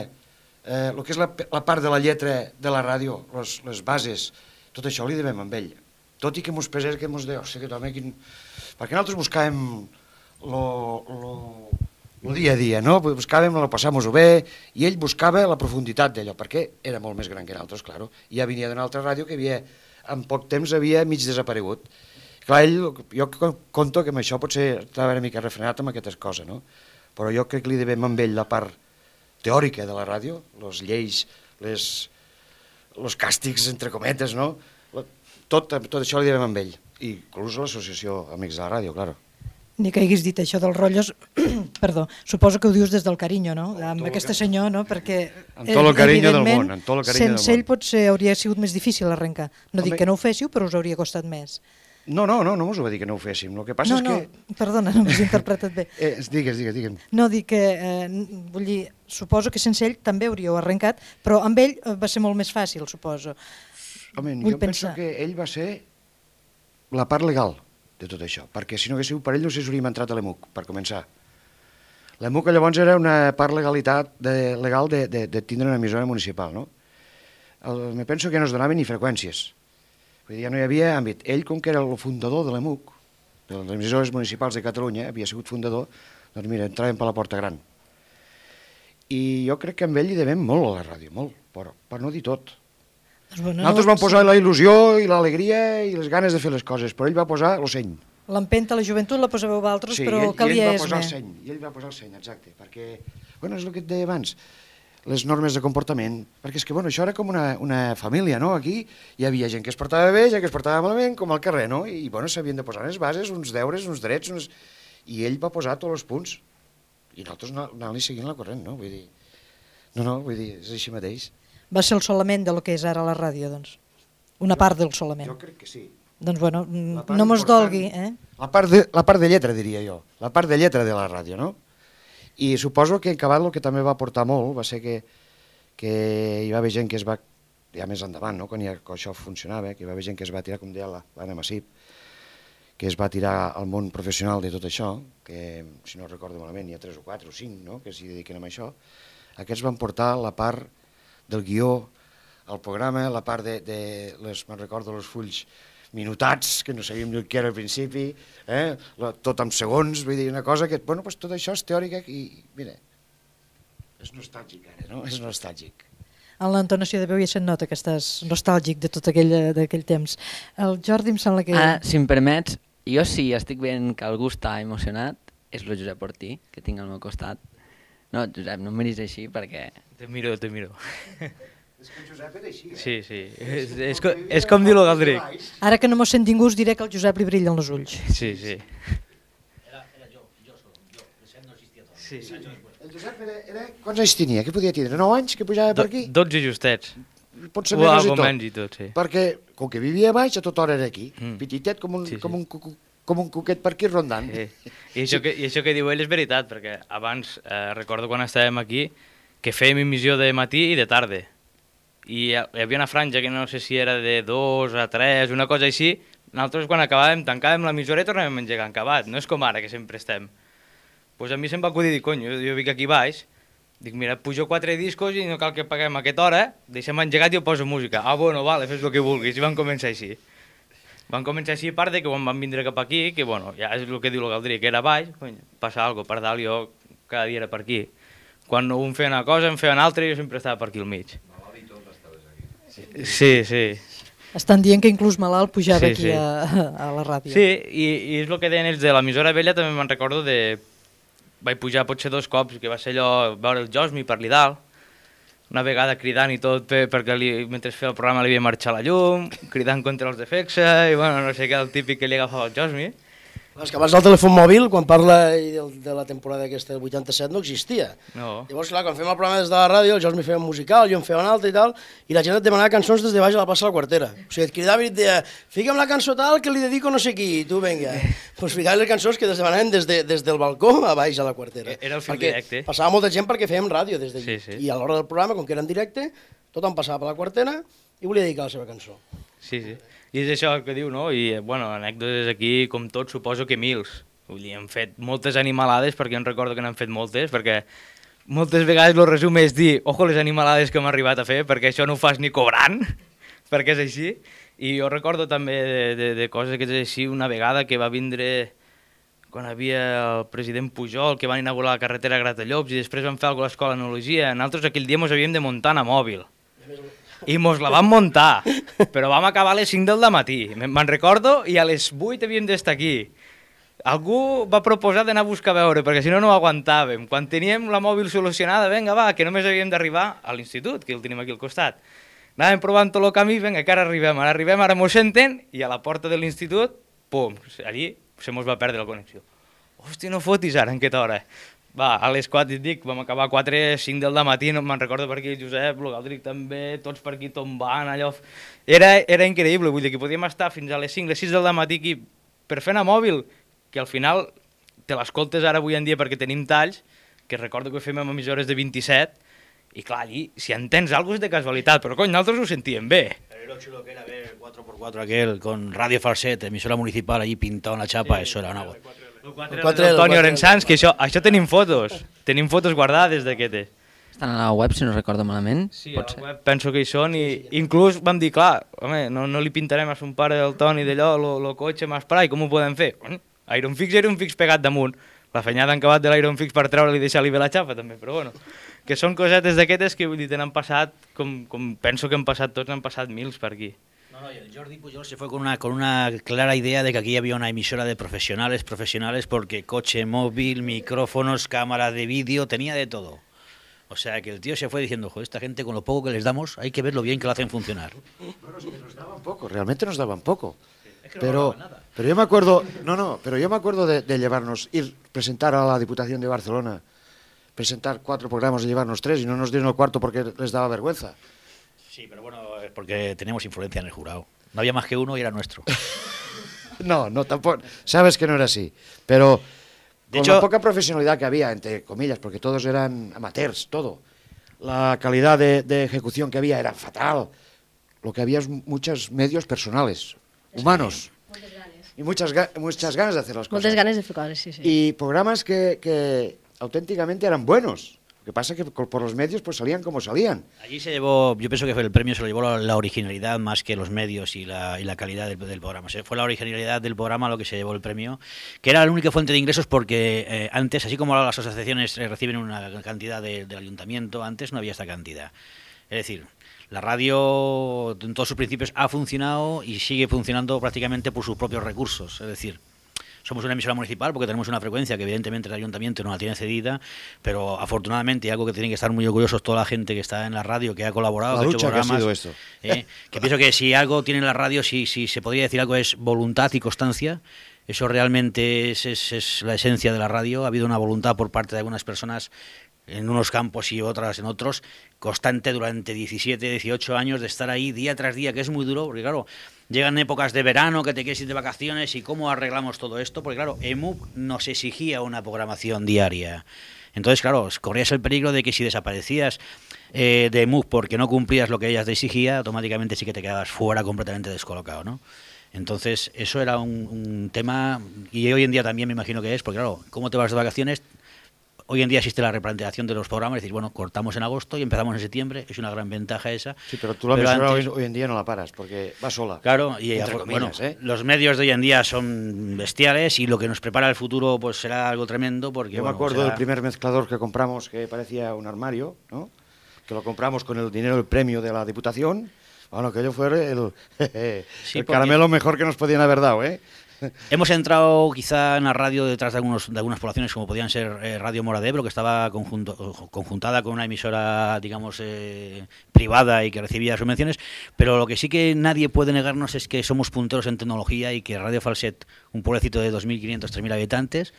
Speaker 15: eh, el que és la, la part de la lletra de la ràdio, les, les bases, tot això li devem amb ell. Tot i que mos pesés, que mos deia, hosti, aquest home, quin... Perquè nosaltres buscàvem el dia a dia, no? Buscàvem el passar-nos-ho bé, i ell buscava la profunditat d'allò, perquè era molt més gran que nosaltres, clar. Ja venia d'una altra ràdio que havia, en poc temps havia mig desaparegut. Clar, ell, jo conto que amb això potser estava una mica refrenat amb aquestes coses, no? Però jo crec que li devem amb ell la part teòrica de la ràdio, les lleis, les, els càstigs, entre cometes, no? Tot, tot això li devem amb ell, i inclús a l'associació Amics de la Ràdio, clar.
Speaker 7: Ni que haguis dit això dels rotllos, perdó, suposo que ho dius des del carinyo, no? Amb aquest senyor, no? Perquè,
Speaker 15: amb tot el carinyo del món, amb tot el carinyo del món.
Speaker 7: Sense ell potser hauria sigut més difícil arrencar. No dic que no ho féssiu, però us hauria costat més.
Speaker 15: No, no, no, no us ho va dir que no ho féssim. El que passa és que...
Speaker 7: No, no, perdona, no m'has interpretat bé.
Speaker 15: Eh, digues, digues, digue'm.
Speaker 7: No, dic que, eh, vull dir, suposo que sense ell també hauríeu arrencat, però amb ell va ser molt més fàcil, suposo.
Speaker 15: Home, jo penso que ell va ser la part legal de tot això, perquè si no hagués sigut per ell no s'hauríem entrat a l'E M U C, per començar. L'E M U C llavors era una part legalitat de, legal de, de, de tindre una emissora municipal, no? El, me penso que no es donaven ni freqüències, vull dir, ja no hi havia àmbit. Ell, com que era el fundador de l'E M U C, de les emissores municipals de Catalunya, havia sigut fundador, doncs mira, entraven per la porta gran. I jo crec que amb ell li devem molt a la ràdio, molt, però per no dir tot.
Speaker 7: Doncs bueno,
Speaker 15: nosaltres vam posar la il·lusió i l'alegria i les ganes de fer les coses, però ell va posar el seny.
Speaker 7: L'empenta a la joventut la posàveu vosaltres,
Speaker 15: sí,
Speaker 7: però
Speaker 15: ell,
Speaker 7: calia
Speaker 15: ell va posar
Speaker 7: esme.
Speaker 15: el seny, i ell va posar el seny, exacte, perquè, bueno, és el que et deia abans, les normes de comportament, perquè és que, bueno, això era com una, una família, no? Aquí hi havia gent que es portava bé, gent que es portava malament, com al carrer, no? I, bueno, s'havien de posar unes bases, uns deures, uns drets, uns... i ell va posar tots els punts, i nosaltres anant-li seguint la corrent, no? Vull dir, no, no, vull dir, és així mateix.
Speaker 7: Va ser el solament de lo que és ara la ràdio, doncs. Una part del solament.
Speaker 15: Jo crec que sí.
Speaker 7: Doncs bueno, no mos dolgui, eh?
Speaker 15: La part, de, la part de lletra, diria jo. La part de lletra de la ràdio, no? I suposo que en acabat el que també va portar molt va ser que, que hi va haver gent que es va, ja més endavant, no? Quan ja, això funcionava, que hi va haver gent que es va tirar, com deia l'Anna Massip, que es va tirar al món professional de tot això, que si no recordo malament hi ha tres o quatre o cinc, no? Que s'hi dediquen a això. Aquests van portar la part del guió, el programa, la part de, de les, me'n recordo, els fulls minutats, que no sabíem què era al principi, eh? La, tot amb segons, vull dir, una cosa que, bueno, pues tot això és teòrica i, mira, és nostàlgic ara, no? És nostàlgic.
Speaker 7: En l'entonació de veu ja se'n nota que estàs nostàlgic de tot aquell, d'aquell temps. El Jordi em sembla que...
Speaker 8: Ah, si em permets, jo sí estic veient que algú està emocionat, és el Josep Ortí, que tinc al meu costat. No, Josep, no em miris així perquè...
Speaker 16: Te miro, te miro.
Speaker 15: És que el Josep era així, eh?
Speaker 16: Sí, sí. És, és, com, és com dir-lo Galdric.
Speaker 7: Ara que no mos sent ningú us diré que el Josep li brillen els ulls.
Speaker 16: Sí, sí.
Speaker 11: Era, era jo, jo solo, jo. El Josep no existia tot.
Speaker 16: Sí.
Speaker 15: Sí. El Josep era, era... Quants anys tenia? Què podia tindre? nou anys que pujava per aquí?
Speaker 16: dotze justets.
Speaker 15: Pot ser
Speaker 16: o
Speaker 15: menys i tot.
Speaker 16: menys i tot, sí.
Speaker 15: Perquè, com que vivia baix, a tota hora era aquí.
Speaker 16: Mm.
Speaker 15: Petitet com un,
Speaker 16: Sí, sí.
Speaker 15: com un, cucu, com un cuquet per aquí rondant.
Speaker 16: Sí. I, això que, I això que diu ell és veritat, perquè abans, eh, recordo quan estàvem aquí, que fèiem emissió de matí i de tarda. I hi havia una franja que no sé si era de dos a tres, una cosa així. Nosaltres quan acabàvem, tancàvem l'emissora i tornàvem a engegar acabat. No és com ara, que sempre estem. Pues a mi se'm va acudir dir, cony, jo, jo vinc aquí baix, dic, mira, pujo quatre discos i no cal que paguem a aquesta hora, deixem engegat i jo poso música. Ah, bueno, vale, fes el que vulguis. I van començar així. Van començar així, a part de que quan van vindre cap aquí, que bueno, ja és el que diu el Galdric, que era baix, cony, passa alguna cosa, per dalt jo cada dia era per aquí. Quan un feia una cosa, em feia una altra i jo sempre estava per aquí al mig. Sí, sí.
Speaker 7: Estan dient que inclús malalt pujava
Speaker 16: Sí,
Speaker 7: aquí
Speaker 16: sí.
Speaker 7: a, a la ràdio.
Speaker 16: Sí, i, i és el que deien ells de l'emissora vella, també me'n recordo de... Vaig pujar potser dos cops, que va ser allò, veure el Josmi per allà dalt, una vegada cridant i tot, per, perquè li, mentre feia el programa li havia marxat la llum, cridant contra els de Fexa, i bueno, no sé què, el típic que li agafava el Josmi.
Speaker 14: És que abans el telèfon mòbil, quan parla de, de la temporada aquesta del vuitanta-set, no existia.
Speaker 16: No.
Speaker 14: Llavors, clar, quan fèiem el programa des de la ràdio, el Josmi feia un musical, jo en feia un altre i tal, i la gent et demanava cançons des de baix a la plaça de la Quartera. O sigui, et cridava i et deia, fica'm la cançó tal que li dedico no sé qui, i tu, vinga. Doncs pues ficaves les cançons que des demanaven des, de, des del balcó a baix a la Quartera.
Speaker 16: Era el fil
Speaker 14: perquè
Speaker 16: directe.
Speaker 14: Passava molta gent perquè fèiem ràdio des d'allí.
Speaker 16: Sí, sí.
Speaker 14: I a l'hora del programa, com que era en directe, tothom passava per la Quartera i volia dedicar la seva cançó.
Speaker 16: Sí, sí. I és això el que diu, no? I, bueno, anècdotes aquí, com tot, suposo que mils. Vull dir, hem fet moltes animalades, perquè em recordo que n'han fet moltes, perquè moltes vegades el resum és dir, ojo les animalades que hem arribat a fer, perquè això no ho fas ni cobrant, perquè és així. I jo recordo també de, de, de coses que és així, una vegada que va vindre quan havia el president Pujol, que van inaugurar la carretera Gratallops, i després van fer alguna cosa a l'escola d'enologia. Nosaltres aquell dia mos havíem de muntar a mòbil. I mos la vam muntar, però vam acabar a les cinc del matí, me'n recordo, i a les vuit havíem d'estar aquí. Algú va proposar d'anar a buscar a veure, perquè si no no ho aguantàvem. Quan teníem la mòbil solucionada, vinga, va, que només havíem d'arribar a l'institut, que el tenim aquí al costat. Anàvem provant tot el camí, vinga, que ara arribem, ara arribem, ara mos senten, i a la porta de l'institut, pum, allí se mos va perdre la connexió. Hòstia, no fotis ara, en què hora? Va, a les quatre, et dic, vam acabar a quatre, cinc del matí, no me'n recordo per aquí el Josep, el Galdric també, tots per aquí tombant, allò... Era, era increïble, vull dir que podíem estar fins a les cinc, les sis del matí aquí per fer anar mòbil, que al final te l'escoltes ara avui en dia perquè tenim talls, que recordo que fem amb emissores de vint-i-set, i clar, allí, si entens alguna cosa és de casualitat, però cony, nosaltres ho sentíem bé.
Speaker 11: Pero lo chulo que era ver el cuatro por cuatro aquel con Radio Falset, emisora municipal allí pintado en la chapa, sí, eso era una...
Speaker 16: El quatre Antonio Orensans, que això, això tenim fotos, tenim fotos guardades d'aquestes.
Speaker 8: Estan a la web, si no recordo malament.
Speaker 16: Sí, a la web penso que hi són, i inclús vam dir, clar, home, no, no li pintarem a son pare del Toni d'allò, el cotxe amb esprai, com ho podem fer? Iron Fix era un fix pegat damunt. La fenyada han acabat de l'Iron Fix per treure-li i deixar-li bé la xapa, també, però bueno. Que són cosetes d'aquestes que, vull dir, t'han passat, com, com penso que han passat tots, han passat mils per aquí.
Speaker 11: No, no, el Jordi Pujol se fue con una, con una clara idea de que aquí había una emisora de profesionales, profesionales, porque coche móvil, micrófonos, cámara de vídeo, tenía de todo. O sea, que el tío se fue diciendo, joder, esta gente con lo poco que les damos, hay que ver lo bien que lo hacen funcionar.
Speaker 15: Bueno, es que nos daban poco, realmente nos daban poco. Es que no pero, nada. Pero yo me acuerdo, no, no, pero yo me acuerdo de, de llevarnos, ir, presentar a la Diputación de Barcelona, presentar cuatro programas y llevarnos tres, y no nos dieron el cuarto porque les daba vergüenza.
Speaker 11: Sí, pero bueno, es porque teníamos influencia en el jurado. No había más que uno y era nuestro.
Speaker 15: No, no, tampoco. Sabes que no era así. Pero
Speaker 11: de
Speaker 15: con
Speaker 11: hecho,
Speaker 15: la poca profesionalidad que había, entre comillas, porque todos eran amateurs, todo. La calidad de, de ejecución que había era fatal. Lo que había es muchos medios personales, humanos.
Speaker 13: Moltes ganes.
Speaker 15: Y muchas, ga muchas ganas de hacer las cosas.
Speaker 13: Moltes ganes de fer coses, sí, sí.
Speaker 15: Y programas que, que auténticamente eran buenos. Lo que pasa es que por los medios pues salían como salían.
Speaker 11: Allí se llevó, yo pienso que fue el premio, se lo llevó la, la originalidad más que los medios y la, y la calidad del, del programa. Se fue la originalidad del programa lo que se llevó el premio, que era la única fuente de ingresos porque eh, antes, así como las asociaciones eh, reciben una cantidad de, del ayuntamiento, antes no había esta cantidad. Es decir, la radio en todos sus principios ha funcionado y sigue funcionando prácticamente por sus propios recursos. Es decir, somos una emisora municipal porque tenemos una frecuencia que evidentemente el ayuntamiento no la tiene cedida, pero afortunadamente, y algo que tienen que estar muy orgullosos toda la gente que está en la radio, que ha colaborado,
Speaker 15: la
Speaker 11: que ha
Speaker 15: lucha
Speaker 11: hecho programas,
Speaker 15: que ha sido esto.
Speaker 11: Eh, que pienso que si algo tiene la radio, si, si se podría decir algo, es voluntad y constancia. Eso realmente es, es, es la esencia de la radio. Ha habido una voluntad por parte de algunas personas en unos campos y otras en otros, constante durante diecisiete, dieciocho años de estar ahí día tras día, que es muy duro, porque claro, llegan épocas de verano que te quieres ir de vacaciones y cómo arreglamos todo esto, porque claro, E M U nos exigía una programación diaria. Entonces, claro, corrías el peligro de que si desaparecías eh, de E M U porque no cumplías lo que ellas te exigía, automáticamente sí que te quedabas fuera completamente descolocado, ¿no? Entonces, eso era un, un tema, y hoy en día también me imagino que es, porque claro, ¿cómo te vas de vacaciones? hoy en día existe la replanteación de los programas, es decir, bueno, cortamos en agosto y empezamos en septiembre, es una gran ventaja esa.
Speaker 15: Sí, pero tú la pero emisora antes, hoy, hoy en día no la paras, porque va sola.
Speaker 11: Claro, y
Speaker 15: entre comillas,
Speaker 11: bueno,
Speaker 15: ¿eh?
Speaker 11: los medios de hoy en día son bestiales y lo que nos prepara el futuro pues será algo tremendo, porque
Speaker 15: yo
Speaker 11: bueno,
Speaker 15: me acuerdo
Speaker 11: será...
Speaker 15: del primer mezclador que compramos, que parecía un armario, ¿no? Que lo compramos con el dinero del premio de la Diputación. Bueno, aquello fue el,
Speaker 11: sí,
Speaker 15: el caramelo mejor que nos podían haber dado, ¿eh?
Speaker 11: Hemos entrado quizá en la radio detrás de, algunos, de algunas poblaciones como podían ser eh, Radio Mora de Ebro, que estaba conjunto, conjuntada con una emisora, digamos, eh, privada y que recibía subvenciones, pero lo que sí que nadie puede negarnos es que somos punteros en tecnología y que Radio Falset, un pueblecito de dos mil quinientos, tres mil habitantes,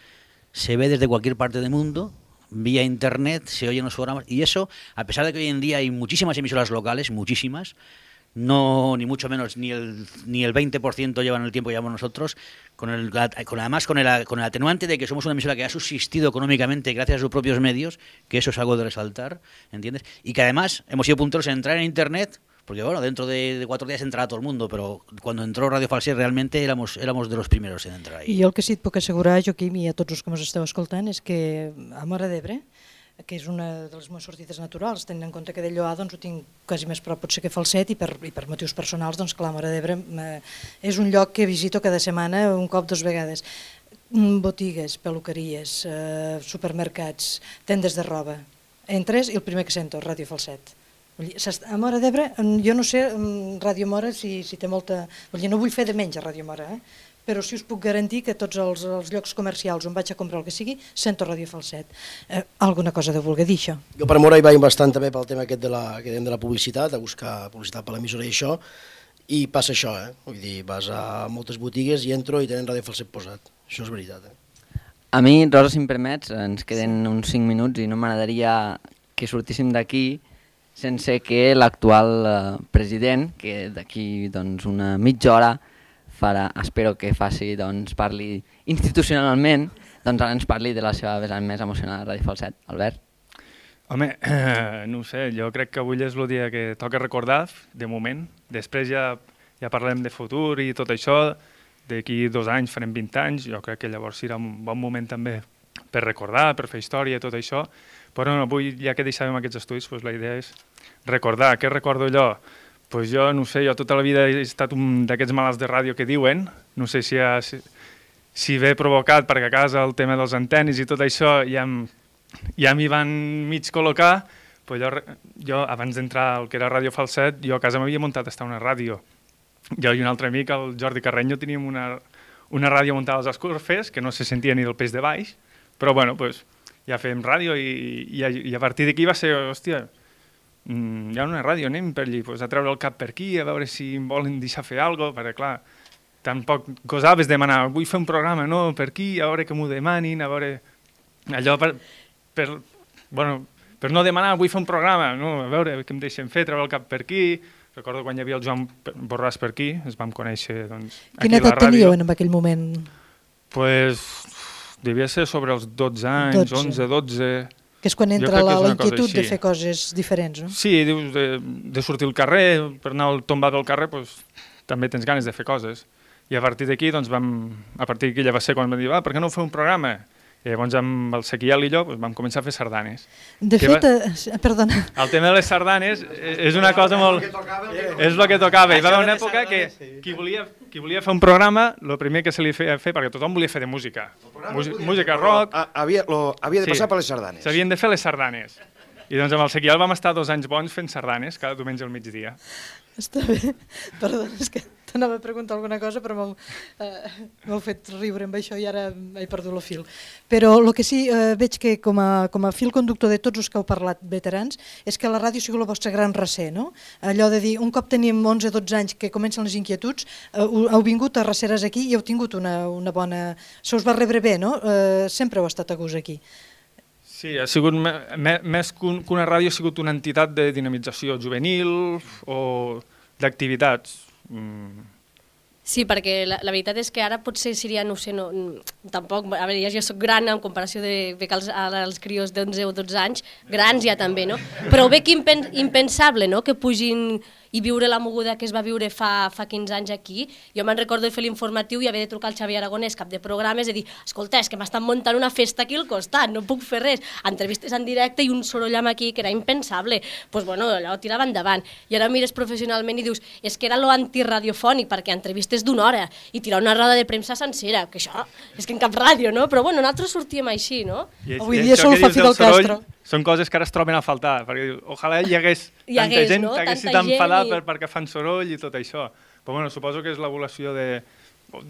Speaker 11: se ve desde cualquier parte del mundo, vía internet, se oyen los programas, y eso, a pesar de que hoy en día hay muchísimas emisoras locales, muchísimas, no ni mucho menos ni el ni el veinte por ciento llevan el tiempo que llevamos nosotros, con el con además con el con el atenuante de que somos una emisora que ha subsistido económicamente gracias a sus propios medios, que eso es algo de resaltar, ¿entiendes? Y que además hemos sido punteros en entrar en internet, porque bueno, dentro de, de cuatro días entrarà todo el mundo, pero cuando entró Radio Falset realmente éramos éramos de los primeros en entrar ahí.
Speaker 7: I jo el que sí et puc assegurar, Joaquim, i a tots els que ens esteu escoltant, és que a Móra d'Ebre, que és una de les meves sortides naturals, tenint en compte que de Lloar doncs, ho tinc quasi més prop potser que Falset, i per, i per motius personals, doncs clar, Móra d'Ebre és un lloc que visito cada setmana, un cop, dos vegades. Botigues, peluqueries, eh, supermercats, tendes de roba. Entres i el primer que sento, Ràdio Falset. A Móra d'Ebre, jo no sé, Ràdio Móra, si, si té molta... Vull dir, no vull fer de menys a Ràdio Móra, eh? Però sí us puc garantir que tots els, els llocs comercials on vaig a comprar el que sigui, sento Ràdio Falset. Eh, alguna cosa de voler dir, això?
Speaker 14: Jo per Móra hi vaig bastant també pel tema aquest de la, que dèiem de la publicitat, a buscar publicitat per l'emissora i això, i passa això, eh? Vull dir, vas a moltes botigues i entro i tenen Ràdio Falset posat. Això és veritat, eh?
Speaker 8: A mi, Rosa, si em permets, ens queden uns cinc minuts i no m'agradaria que sortíssim d'aquí sense que l'actual eh, president, que d'aquí doncs, una mitja hora farà, espero que faci, doncs, parli institucionalment, doncs ara ens parli de la seva vessant més emocional a Ràdio Falset. Albert?
Speaker 1: Home, eh, no ho sé, jo crec que avui és el dia que toca recordar, de moment. Després ja, ja parlem de futur i tot això, d'aquí dos anys farem vint anys, jo crec que llavors serà un bon moment també per recordar, per fer història i tot això, però no, avui, ja que deixàvem aquests estudis, doncs la idea és recordar. Què recordo jo? Pues jo, no sé, jo tota la vida he estat un d'aquests malalts de ràdio que diuen, no sé si, ha, si, si ve provocat perquè a casa el tema dels antenis i tot això ja, ja m'hi van mig col·locar, pues jo, jo abans d'entrar al que era Ràdio Falset, jo a casa m'havia muntat estar una ràdio. Jo i un altre amic, el Jordi Carreño, teníem una, una ràdio muntada als escorfes, que no se sentia ni del peix de baix, però bueno, pues, ja fèiem ràdio i, i, i a partir d'aquí va ser, hòstia, hi ha una ràdio, anem per allí, pues, a treure el cap per aquí, a veure si em volen deixar fer alguna cosa, perquè clar, tampoc gosaves demanar, vull fer un programa, no, per aquí, a veure que m'ho demanin, a veure... Allò per, per, bueno, per no demanar, vull fer un programa, no, a veure què em deixen fer, treure el cap per aquí... Recordo quan hi havia el Joan Borràs per aquí, ens vam conèixer, doncs, aquí a la ràdio.
Speaker 7: Quina edat teníeu en aquell moment?
Speaker 1: Pues, devia ser sobre els dotze anys, onze, dotze...
Speaker 7: Que és quan entra la, la inquietud de fer coses diferents, no?
Speaker 1: Sí, dius, de, de sortir al carrer, per anar al tombat del carrer, pues, també tens ganes de fer coses. I a partir d'aquí, doncs, vam, a partir d'aquí ja va ser quan vam dir, ah, per què no fer un programa? I llavors amb el Sequiel i jo doncs, vam començar a fer sardanes.
Speaker 7: De
Speaker 1: que
Speaker 7: fet,
Speaker 1: va...
Speaker 7: eh, perdona.
Speaker 1: El tema de les sardanes és una cosa molt... És el que tocava. Hi va haver una època que qui volia, qui volia fer un programa, el primer que se li feia fer, perquè tothom volia fer de música. Música rock...
Speaker 15: Havia, lo, havia de passar per les sardanes.
Speaker 1: S'havien de fer les sardanes. I doncs amb el Sequiel vam estar dos anys bons fent sardanes, cada diumenge al migdia.
Speaker 7: Està bé. Perdona, és que t'anava a preguntar alguna cosa, però m'heu eh, fet riure amb això i ara he perdut el fil. Però el que sí eh, veig que com a, com a fil conductor de tots els que heu parlat veterans és que la ràdio ha sigut el vostre gran recer, no? Allò de dir, un cop tenim onze dotze anys que comencen les inquietuds, eh, heu vingut a Raceres aquí i heu tingut una, una bona... Se us va rebre bé, no? Eh, sempre heu estat a gust aquí.
Speaker 1: Sí, ha sigut més que una ràdio, ha sigut una entitat de dinamització juvenil o d'activitats. Mm.
Speaker 13: Sí, perquè la, la veritat és que ara potser seria, no sé, no, tampoc, a veure, ja jo soc gran en comparació de que els, els crios d'onze o dotze anys, grans ja també, no? Però veig impen, impensable, no?, que pugin i viure la moguda que es va viure fa, fa quinze anys aquí. Jo me'n recordo de fer l'informatiu i haver de trucar al Xavier Aragonès, cap de programes, i dir, escolta, és que m'estan muntant una festa aquí al costat, no puc fer res. Entrevistes en directe i un soroll amb aquí que era impensable. Doncs pues, bueno, allò tirava endavant. I ara mires professionalment i dius, és que era lo antiradiofònic, perquè entrevistes d'una hora i tirar una roda de premsa sencera, que això és que en cap ràdio, no? Però bueno, nosaltres sortíem així, no?
Speaker 7: Avui dia sol fa Fidel Castro.
Speaker 1: Són coses que ara es troben a faltar, perquè ojalà hi hagués
Speaker 13: hi
Speaker 1: tanta
Speaker 13: hagués,
Speaker 1: gent
Speaker 13: no?
Speaker 1: que haguessi
Speaker 13: Tanta
Speaker 1: d'enfadar
Speaker 13: gent i...
Speaker 1: per, perquè fan soroll i tot això. Però bueno, suposo que és l'evolució de,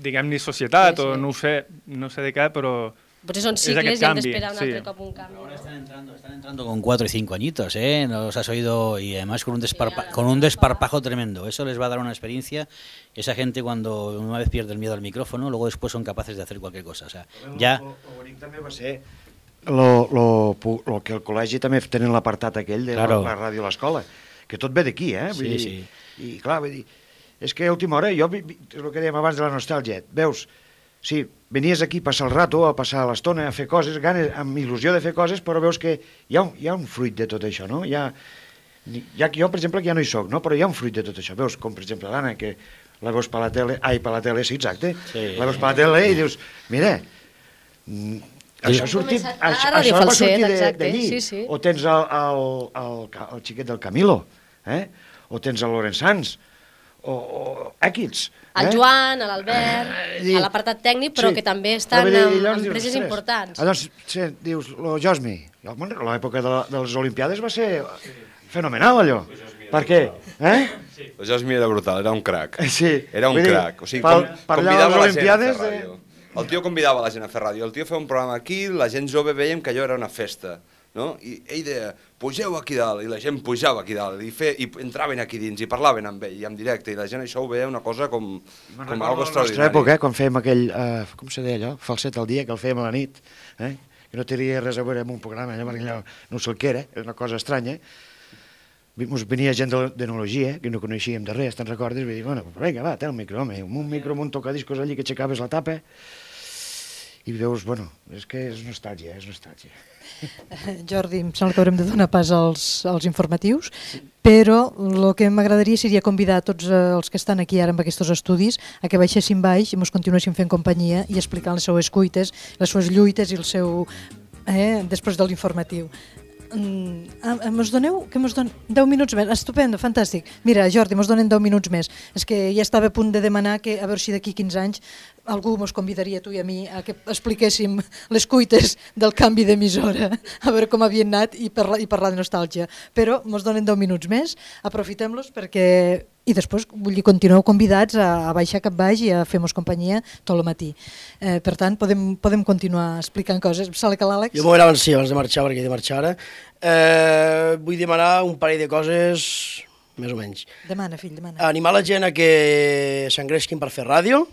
Speaker 1: diguem-ne, societat, sí, sí. o no ho sé, no sé de què, però
Speaker 13: potser són cicles i hem d'esperar un sí. altre cop un canvi.
Speaker 11: Ahora están entrando, están entrando con cuatro y cinco añitos, ¿eh? Nos has oído, y además con un, desparpa con un desparpajo tremendo. Eso les va a dar una experiencia. Esa gente cuando una vez pierde el miedo al micrófono, luego después son capaces de hacer cualquier cosa. O sea, ja...
Speaker 15: Lo, lo bonic també va ser lo, lo, lo que el col·legi també tenen l'apartat aquell de claro. la, la ràdio a l'escola, que tot ve d'aquí, eh? Vull
Speaker 11: sí,
Speaker 15: dir,
Speaker 11: sí.
Speaker 15: I clar, vull dir, és que a última hora, jo, és el que dèiem abans de la nostàlgia, veus, sí, venies aquí a passar el rato, a passar l'estona, a fer coses, ganes, amb il·lusió de fer coses, però veus que hi ha un, hi ha un fruit de tot això, no? Hi ha, hi ha, jo, per exemple, que ja no hi soc, no? Però hi ha un fruit de tot això. Veus, com per exemple l'Anna, que la veus per la tele, ai, per la tele, sí, exacte, sí. La veus per la tele i dius, mira, això ha sortit, això, això va sortir d'allí, sí, sí. O tens el, el, el, el xiquet del Camilo, eh? O tens el Lorenz Sanz, o, o equips.
Speaker 13: El
Speaker 15: eh?
Speaker 13: Joan, l'Albert, eh, a l'apartat tècnic, però sí. que també estan en empreses dius, importants.
Speaker 15: Llavors, sí, dius, lo Josmi, l'època de, de les Olimpiades va ser fenomenal, allò. Per què? Eh?
Speaker 9: El Josmi era brutal, era un crac.
Speaker 15: Sí.
Speaker 9: Era un
Speaker 15: dir,
Speaker 9: crac. O sigui,
Speaker 15: per,
Speaker 9: com,
Speaker 15: per
Speaker 9: convidava la gent a fer
Speaker 15: de...
Speaker 9: ràdio. El tio convidava la gent a fer ràdio. El tio feia un programa aquí, la gent jove veiem que allò era una festa. No? I ell deia, pugeu aquí dalt, i la gent pujava aquí dalt, i, fe, i entraven aquí dins, i parlaven amb ell, i en directe, i la gent això ho veia una cosa com, com algo extraordinari.
Speaker 15: A la nostra època, eh, quan fèiem aquell, uh, com se deia allò, falset al dia, que el fèiem a la nit, eh? Que no tenia res a veure amb un programa, allò, allò no sé el que era, era una cosa estranya. Ens venia gent d'enologia, que no coneixíem de res, te'n recordes? I dir, bueno, vinga, va, té el micro, home, un micro amb un tocadiscos allí que aixecaves la tapa, i veus, bueno, és que és nostàlgia, és nostàlgia.
Speaker 7: Jordi, em sembla que haurem de donar pas als, als informatius, però el que m'agradaria seria convidar tots els que estan aquí ara amb aquests estudis a que baixessin baix i ens continuessin fent companyia i explicant les seues cuites, les seues lluites i el seu... Eh, després de l'informatiu. Mm, mos doneu, que mos don... deu minuts més, estupendo, fantàstic. Mira, Jordi, mos donen deu minuts més. És que ja estava a punt de demanar que a veure si d'aquí quinze anys algú mos convidaria, tu i a mi, a que expliquéssim les cuites del canvi d'emissora, a veure com havien anat i parlar, i parlar de nostàlgia. Però mos donen deu minuts més, aprofitem-los perquè... I després, vull dir, continueu convidats a, a baixar cap baix i a fer-nos companyia tot el matí. Eh, per tant, podem, podem continuar explicant coses. Sala que l'Àlex?
Speaker 14: Jo m'ho era abans, sí, abans de marxar, perquè he de marxar ara. Eh, vull demanar un parell de coses, més o menys.
Speaker 7: Demana, fill, demana.
Speaker 14: Animar la gent a que s'engresquin per fer ràdio,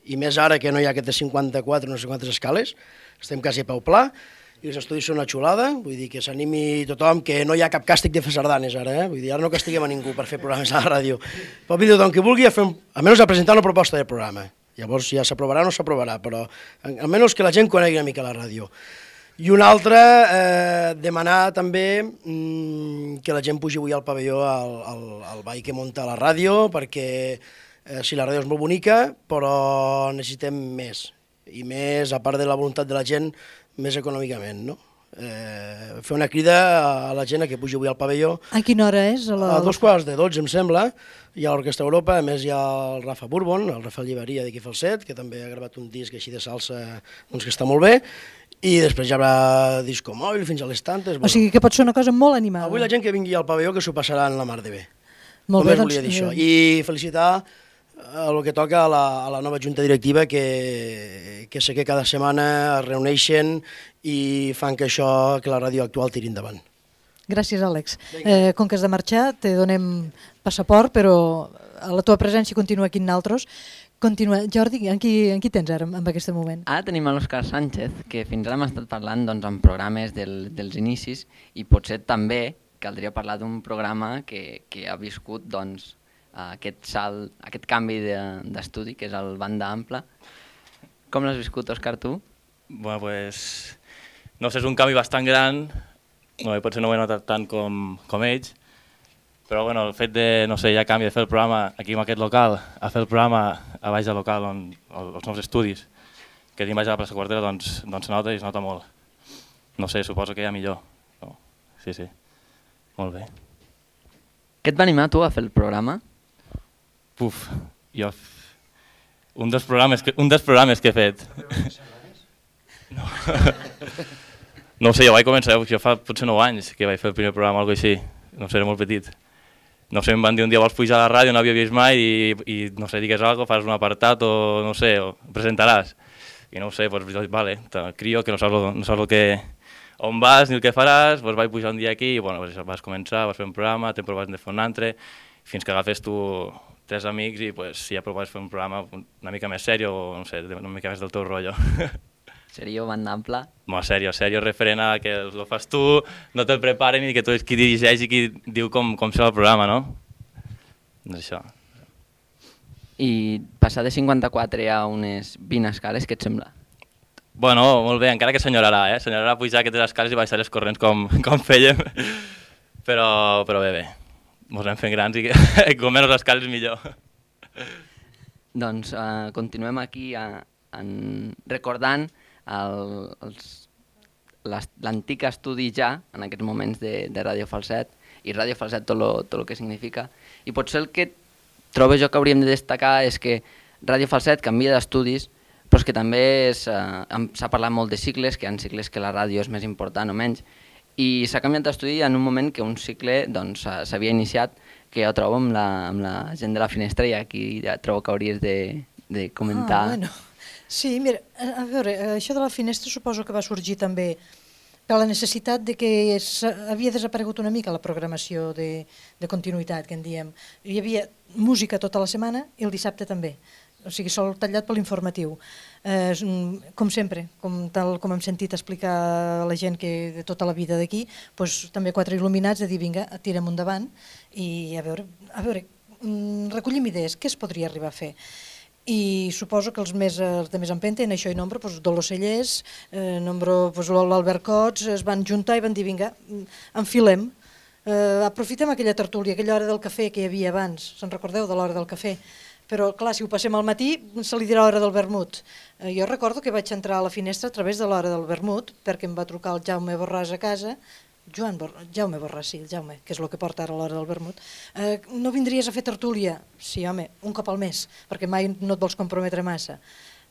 Speaker 14: i més ara que no hi ha aquestes cinquanta-quatre, no sé quantes escales, estem quasi a peu pla, i els estudis són una xulada, vull dir que s'animi tothom, que no hi ha cap càstig de fer sardanes ara, eh? Vull dir, ara no castiguem a ningú per fer programes a la ràdio. Pot dir tothom que vulgui a fer, un, almenys a presentar una proposta de programa. Llavors ja s'aprovarà o no s'aprovarà, però almenys que la gent conegui una mica la ràdio. I una altra, eh, demanar també mmm, que la gent pugi avui al pavelló al, al, al ball que munta la ràdio, perquè eh, sí, la ràdio és molt bonica, però necessitem més. I més, a part de la voluntat de la gent, més econòmicament, no? Eh, fer una crida a la gent a que pugi avui al pavelló.
Speaker 7: A quina hora és? A, la...
Speaker 14: a dos quarts de dotze, em sembla. Hi ha l'Orquestra Europa, a més hi ha el Rafa Bourbon, el Rafael Lliberia d'aquí Falset, que també ha gravat un disc així de salsa doncs, que està molt bé, i després hi haurà disco mòbil fins a les tantes.
Speaker 7: O sigui que pot ser una cosa molt animada.
Speaker 14: Avui la gent que vingui al pavelló que s'ho passarà en la mar de bé.
Speaker 7: Molt bé,
Speaker 14: doncs... volia dir això. I felicitar el que toca a la, a la nova junta directiva, que, que sé que cada setmana es reuneixen i fan que això, que la ràdio actual tiri endavant.
Speaker 7: Gràcies, Àlex. Eh, com que has de marxar, te donem passaport, però la teva presència continua aquí en nosaltres. Continua. Jordi, en qui, en qui tens ara, en aquest moment?
Speaker 8: Ara tenim l'Òscar Sánchez, que fins ara hem estat parlant doncs, en programes del, dels inicis, i potser també caldria parlar d'un programa que, que ha viscut doncs, aquest salt, aquest canvi d'estudi, que és el Banda Ampla. Com l'has viscut, Òscar, tu?
Speaker 17: Bueno, pues, no sé, és un canvi bastant gran, no, potser no ho he notat tant com, com ells, Però bueno, el fet de, no sé, ja canvi de fer el programa aquí en aquest local, a fer el programa a baix del local, on, els nous estudis, que tinc baix a la plaça Quartera, doncs, doncs se nota i es nota molt. No sé, suposo que ja millor. No. Sí, sí. Molt bé.
Speaker 8: Què et va animar tu a fer el programa?
Speaker 17: Puf, jo... Un dels programes que, un dels programes que he fet. No. No ho sé, jo vaig començar, jo fa potser nou anys que vaig fer el primer programa o alguna cosa així. No sé, era molt petit. No sé, em van dir un dia vols pujar a la ràdio, no havia vist mai i, i no sé, digues alguna cosa, fas un apartat o no sé, o presentaràs. I no ho sé, doncs vale, te crio que no saps, lo, no saps lo que, on vas ni el que faràs, doncs vaig pujar un dia aquí i bueno, vas començar, vas fer un programa, te proves de fer un altre, fins que agafes tu tres amics i pues, si ja proves fer un programa una mica més sèrio o no sé, una mica més del teu rotllo.
Speaker 8: Serio, banda ampla?
Speaker 17: No, sèrio, sèrio, referent a que ho fas tu, no te'l preparen i que tu ets qui dirigeix i qui diu com, com serà el programa, no? Doncs això.
Speaker 8: I passar de cinquanta-quatre a unes vint escales, què et sembla?
Speaker 17: Bueno, molt bé, encara que s'enyorarà, eh? S'enyorarà pujar aquestes escales i baixar les corrents com, com fèiem, però, però bé, bé. Ens anem fent grans i que com menys escales millor.
Speaker 8: Doncs uh, continuem aquí uh, en, recordant l'antic estudi ja, en aquests moments de, de Ràdio Falset, i Ràdio Falset tot lo, tot lo que significa. I potser el que trobo jo que hauríem de destacar és que Ràdio Falset canvia d'estudis, però és que també uh, s'ha parlat molt de cicles, que hi ha cicles que la ràdio és més important o menys, i s'ha canviat d'estudi en un moment que un cicle doncs, s'havia iniciat, que ja ho trobo amb la, amb la gent de la finestra i aquí ja trobo que hauries de, de comentar.
Speaker 7: Ah, bueno. Sí, mira, a veure, això de la finestra suposo que va sorgir també per la necessitat de que havia desaparegut una mica la programació de, de continuïtat, que en diem. Hi havia música tota la setmana i el dissabte també. O sigui, sol tallat per l'informatiu. Eh, com sempre, com, tal com hem sentit explicar a la gent que de tota la vida d'aquí, doncs, també quatre il·luminats de dir, vinga, tirem endavant i a veure, a veure, recollim idees, què es podria arribar a fer? I suposo que els, més, els de més empenta, en això i nombre, doncs, Dolors Cellers, eh, nombre, doncs, l'Albert Cots, es van juntar i van dir, vinga, enfilem, eh, aprofitem aquella tertúlia, aquella hora del cafè que hi havia abans, se'n recordeu de l'hora del cafè? Però, clar, si ho passem al matí, se li dirà hora del vermut. Eh, jo recordo que vaig entrar a la finestra a través de l'hora del vermut, perquè em va trucar el Jaume Borràs a casa, Joan Bor Jaume Borràs, sí, el Jaume, que és el que porta ara l'hora del vermut. Eh, no vindries a fer tertúlia? Sí, home, un cop al mes, perquè mai no et vols comprometre massa.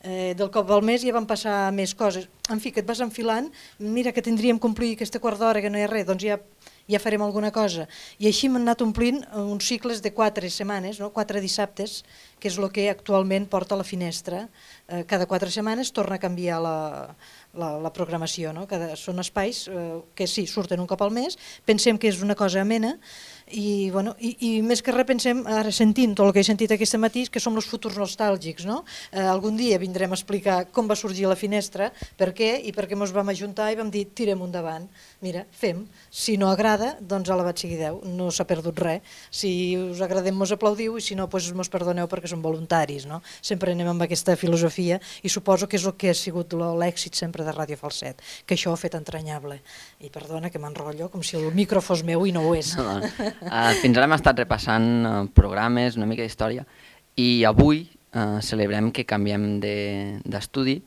Speaker 7: Eh, del cop al mes ja van passar més coses. En fi, que et vas enfilant, mira que tindríem complir aquesta quart d'hora que no hi ha res, doncs ja... ja farem alguna cosa. I així m'han anat omplint uns cicles de quatre setmanes, no? quatre dissabtes, que és el que actualment porta a la finestra. Eh, cada quatre setmanes torna a canviar la, la, la programació. No? Cada, són espais eh, que sí, surten un cop al mes, pensem que és una cosa amena, i, bueno, i, i més que res pensem, ara sentint tot el que he sentit aquest matí, que som els futurs nostàlgics. No? Eh, algun dia vindrem a explicar com va sorgir la finestra, per què i per què ens vam ajuntar i vam dir tirem endavant. Mira, fem. Si no agrada, doncs a la bat sigui Déu, no s'ha perdut res. Si us agradem, mos aplaudiu, i si no, doncs mos perdoneu perquè som voluntaris. No? Sempre anem amb aquesta filosofia i suposo que és el que ha sigut l'èxit sempre de Ràdio Falset, que això ho ha fet entranyable. I perdona que m'enrotllo, com si el micro fos meu i no ho és.
Speaker 8: No, no. Uh, fins ara hem estat repassant uh, programes, una mica d'història, i avui uh, celebrem que canviem d'estudi de,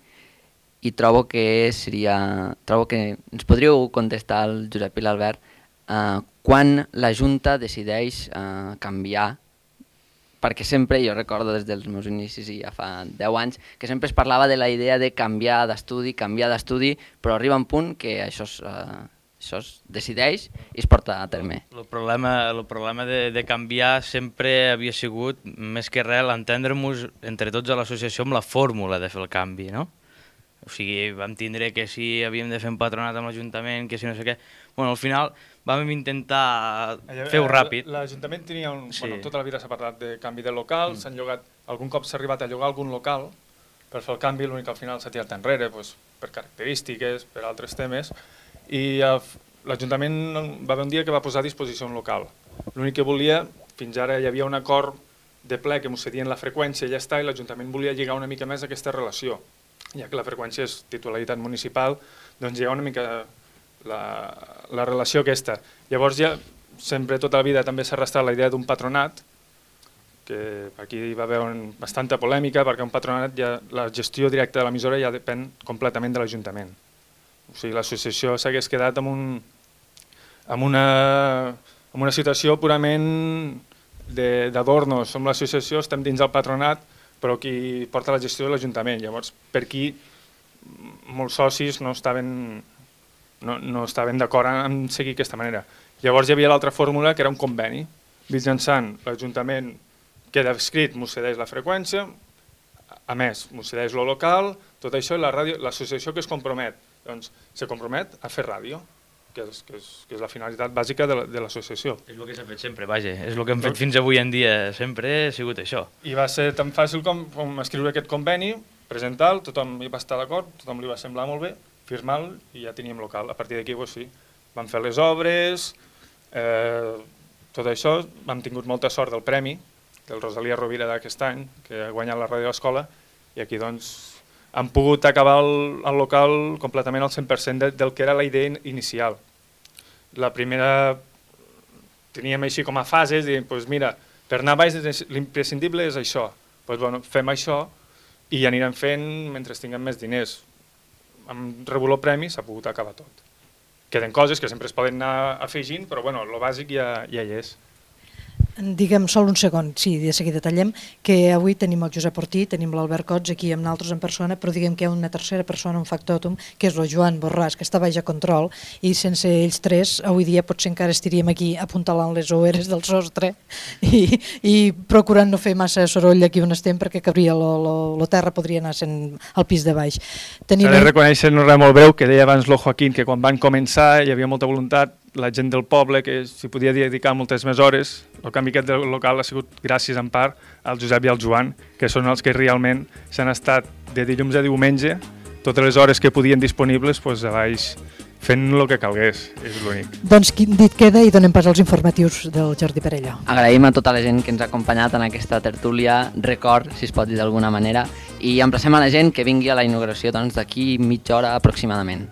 Speaker 8: i trobo que seria... Trobo que ens podríeu contestar el Josep i l'Albert uh, quan la Junta decideix uh, canviar, perquè sempre, jo recordo des dels meus inicis i ja fa deu anys, que sempre es parlava de la idea de canviar d'estudi, canviar d'estudi, però arriba un punt que això es... Uh, això es decideix i es porta a terme.
Speaker 16: El problema, el problema de, de canviar sempre havia sigut, més que res, entendre-nos entre tots a l'associació amb la fórmula de fer el canvi, no? O sigui, vam tindre que si havíem de fer un patronat amb l'Ajuntament, que si no sé què... Bueno, al final vam intentar fer-ho ràpid.
Speaker 1: L'Ajuntament tenia un...
Speaker 16: Sí.
Speaker 1: Bueno, tota la vida s'ha parlat de canvi de local, mm. s'han llogat... Algun cop s'ha arribat a llogar algun local per fer el canvi, l'únic que al final s'ha tirat enrere, doncs, per característiques, per altres temes, i l'Ajuntament va haver un dia que va posar a disposició un local. L'únic que volia, fins ara hi havia un acord de ple que ens cedien la freqüència i ja està, i l'Ajuntament volia lligar una mica més aquesta relació. Ja que la freqüència és titularitat municipal, doncs lligar una mica la, la relació aquesta. Llavors ja sempre tota la vida també s'ha arrastrat la idea d'un patronat, que aquí hi va haver un, bastanta polèmica perquè un patronat, ja, la gestió directa de l'emissora ja depèn completament de l'Ajuntament. O sigui, l'associació s'hagués quedat amb, un, amb, una, amb una situació purament d'adornos. Som l'associació, estem dins del patronat, però qui porta la gestió de l'Ajuntament. Llavors, per aquí molts socis no estaven, no, no estaven d'acord en seguir aquesta manera. Llavors hi havia l'altra fórmula, que era un conveni. Mitjançant l'Ajuntament queda escrit, m'ho cedeix la freqüència, a més, m'ho cedeix lo local, tot això, i l'associació que es compromet, doncs se compromet a fer ràdio, que és, que és, que és la finalitat bàsica de l'associació.
Speaker 16: És el que s'ha fet sempre, vaja, és el que hem fet fins avui en dia, sempre ha sigut això.
Speaker 1: I va ser tan fàcil com, com escriure aquest conveni, presentar-lo, tothom hi va estar d'acord, tothom li va semblar molt bé, firmar-lo i ja teníem local. A partir d'aquí, doncs sí, vam fer les obres, eh, tot això, hem tingut molta sort del premi, del Rosalia Rovira d'aquest any, que ha guanyat la ràdio a l'escola, i aquí doncs han pogut acabar el, el local completament al cent per cent de, del que era la idea inicial. La primera teníem així com a fases, dient, pues mira, per anar baix l'imprescindible és això, pues bueno, fem això i anirem fent mentre tinguem més diners. Amb rebut el premi s'ha pogut acabar tot. Queden coses que sempre es poden anar afegint, però bueno, el bàsic ja, ja hi és.
Speaker 7: Digue'm, sol un segon, sí, de seguida tallem, que avui tenim el Josep Ortí, tenim l'Albert Cots aquí amb nosaltres en persona, però diguem que hi ha una tercera persona, un factòtum, que és el Joan Borràs, que està baix a control, i sense ells tres, avui dia potser encara estaríem aquí apuntalant les oueres del sostre i, i procurant no fer massa soroll aquí on estem, perquè cabria la terra, podria anar sent al pis de baix.
Speaker 1: S'ha de reconèixer en un res molt breu, que deia abans lo Joaquín, que quan van començar hi havia molta voluntat, la gent del poble, que s'hi podia dedicar moltes més hores. El canvi aquest del local ha sigut gràcies en part al Josep i al Joan, que són els que realment s'han estat de dilluns a diumenge, totes les hores que podien disponibles, doncs a baix fent el que calgués, és l'únic.
Speaker 7: Doncs dit queda i donem pas als informatius del Jordi Perelló.
Speaker 8: Agraïm a tota la gent que ens ha acompanyat en aquesta tertúlia, record, si es pot dir d'alguna manera, i emplacem a la gent que vingui a la inauguració doncs, d'aquí mitja hora aproximadament.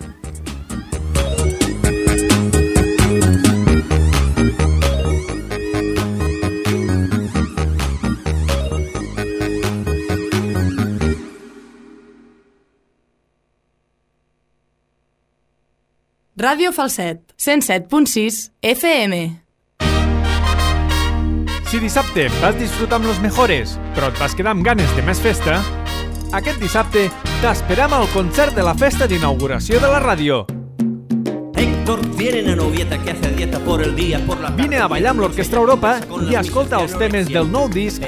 Speaker 4: Ràdio Falset, cent set punt sis F M.
Speaker 1: Si dissabte vas disfrutar amb los mejores, però et vas quedar amb ganes de més festa, aquest dissabte t'esperem al concert de la festa d'inauguració de la ràdio.
Speaker 5: Héctor tiene una novieta que hace dieta por el día, por la tarde.
Speaker 1: Vine a ballar amb l'Orquestra Europa i escolta els temes del nou disc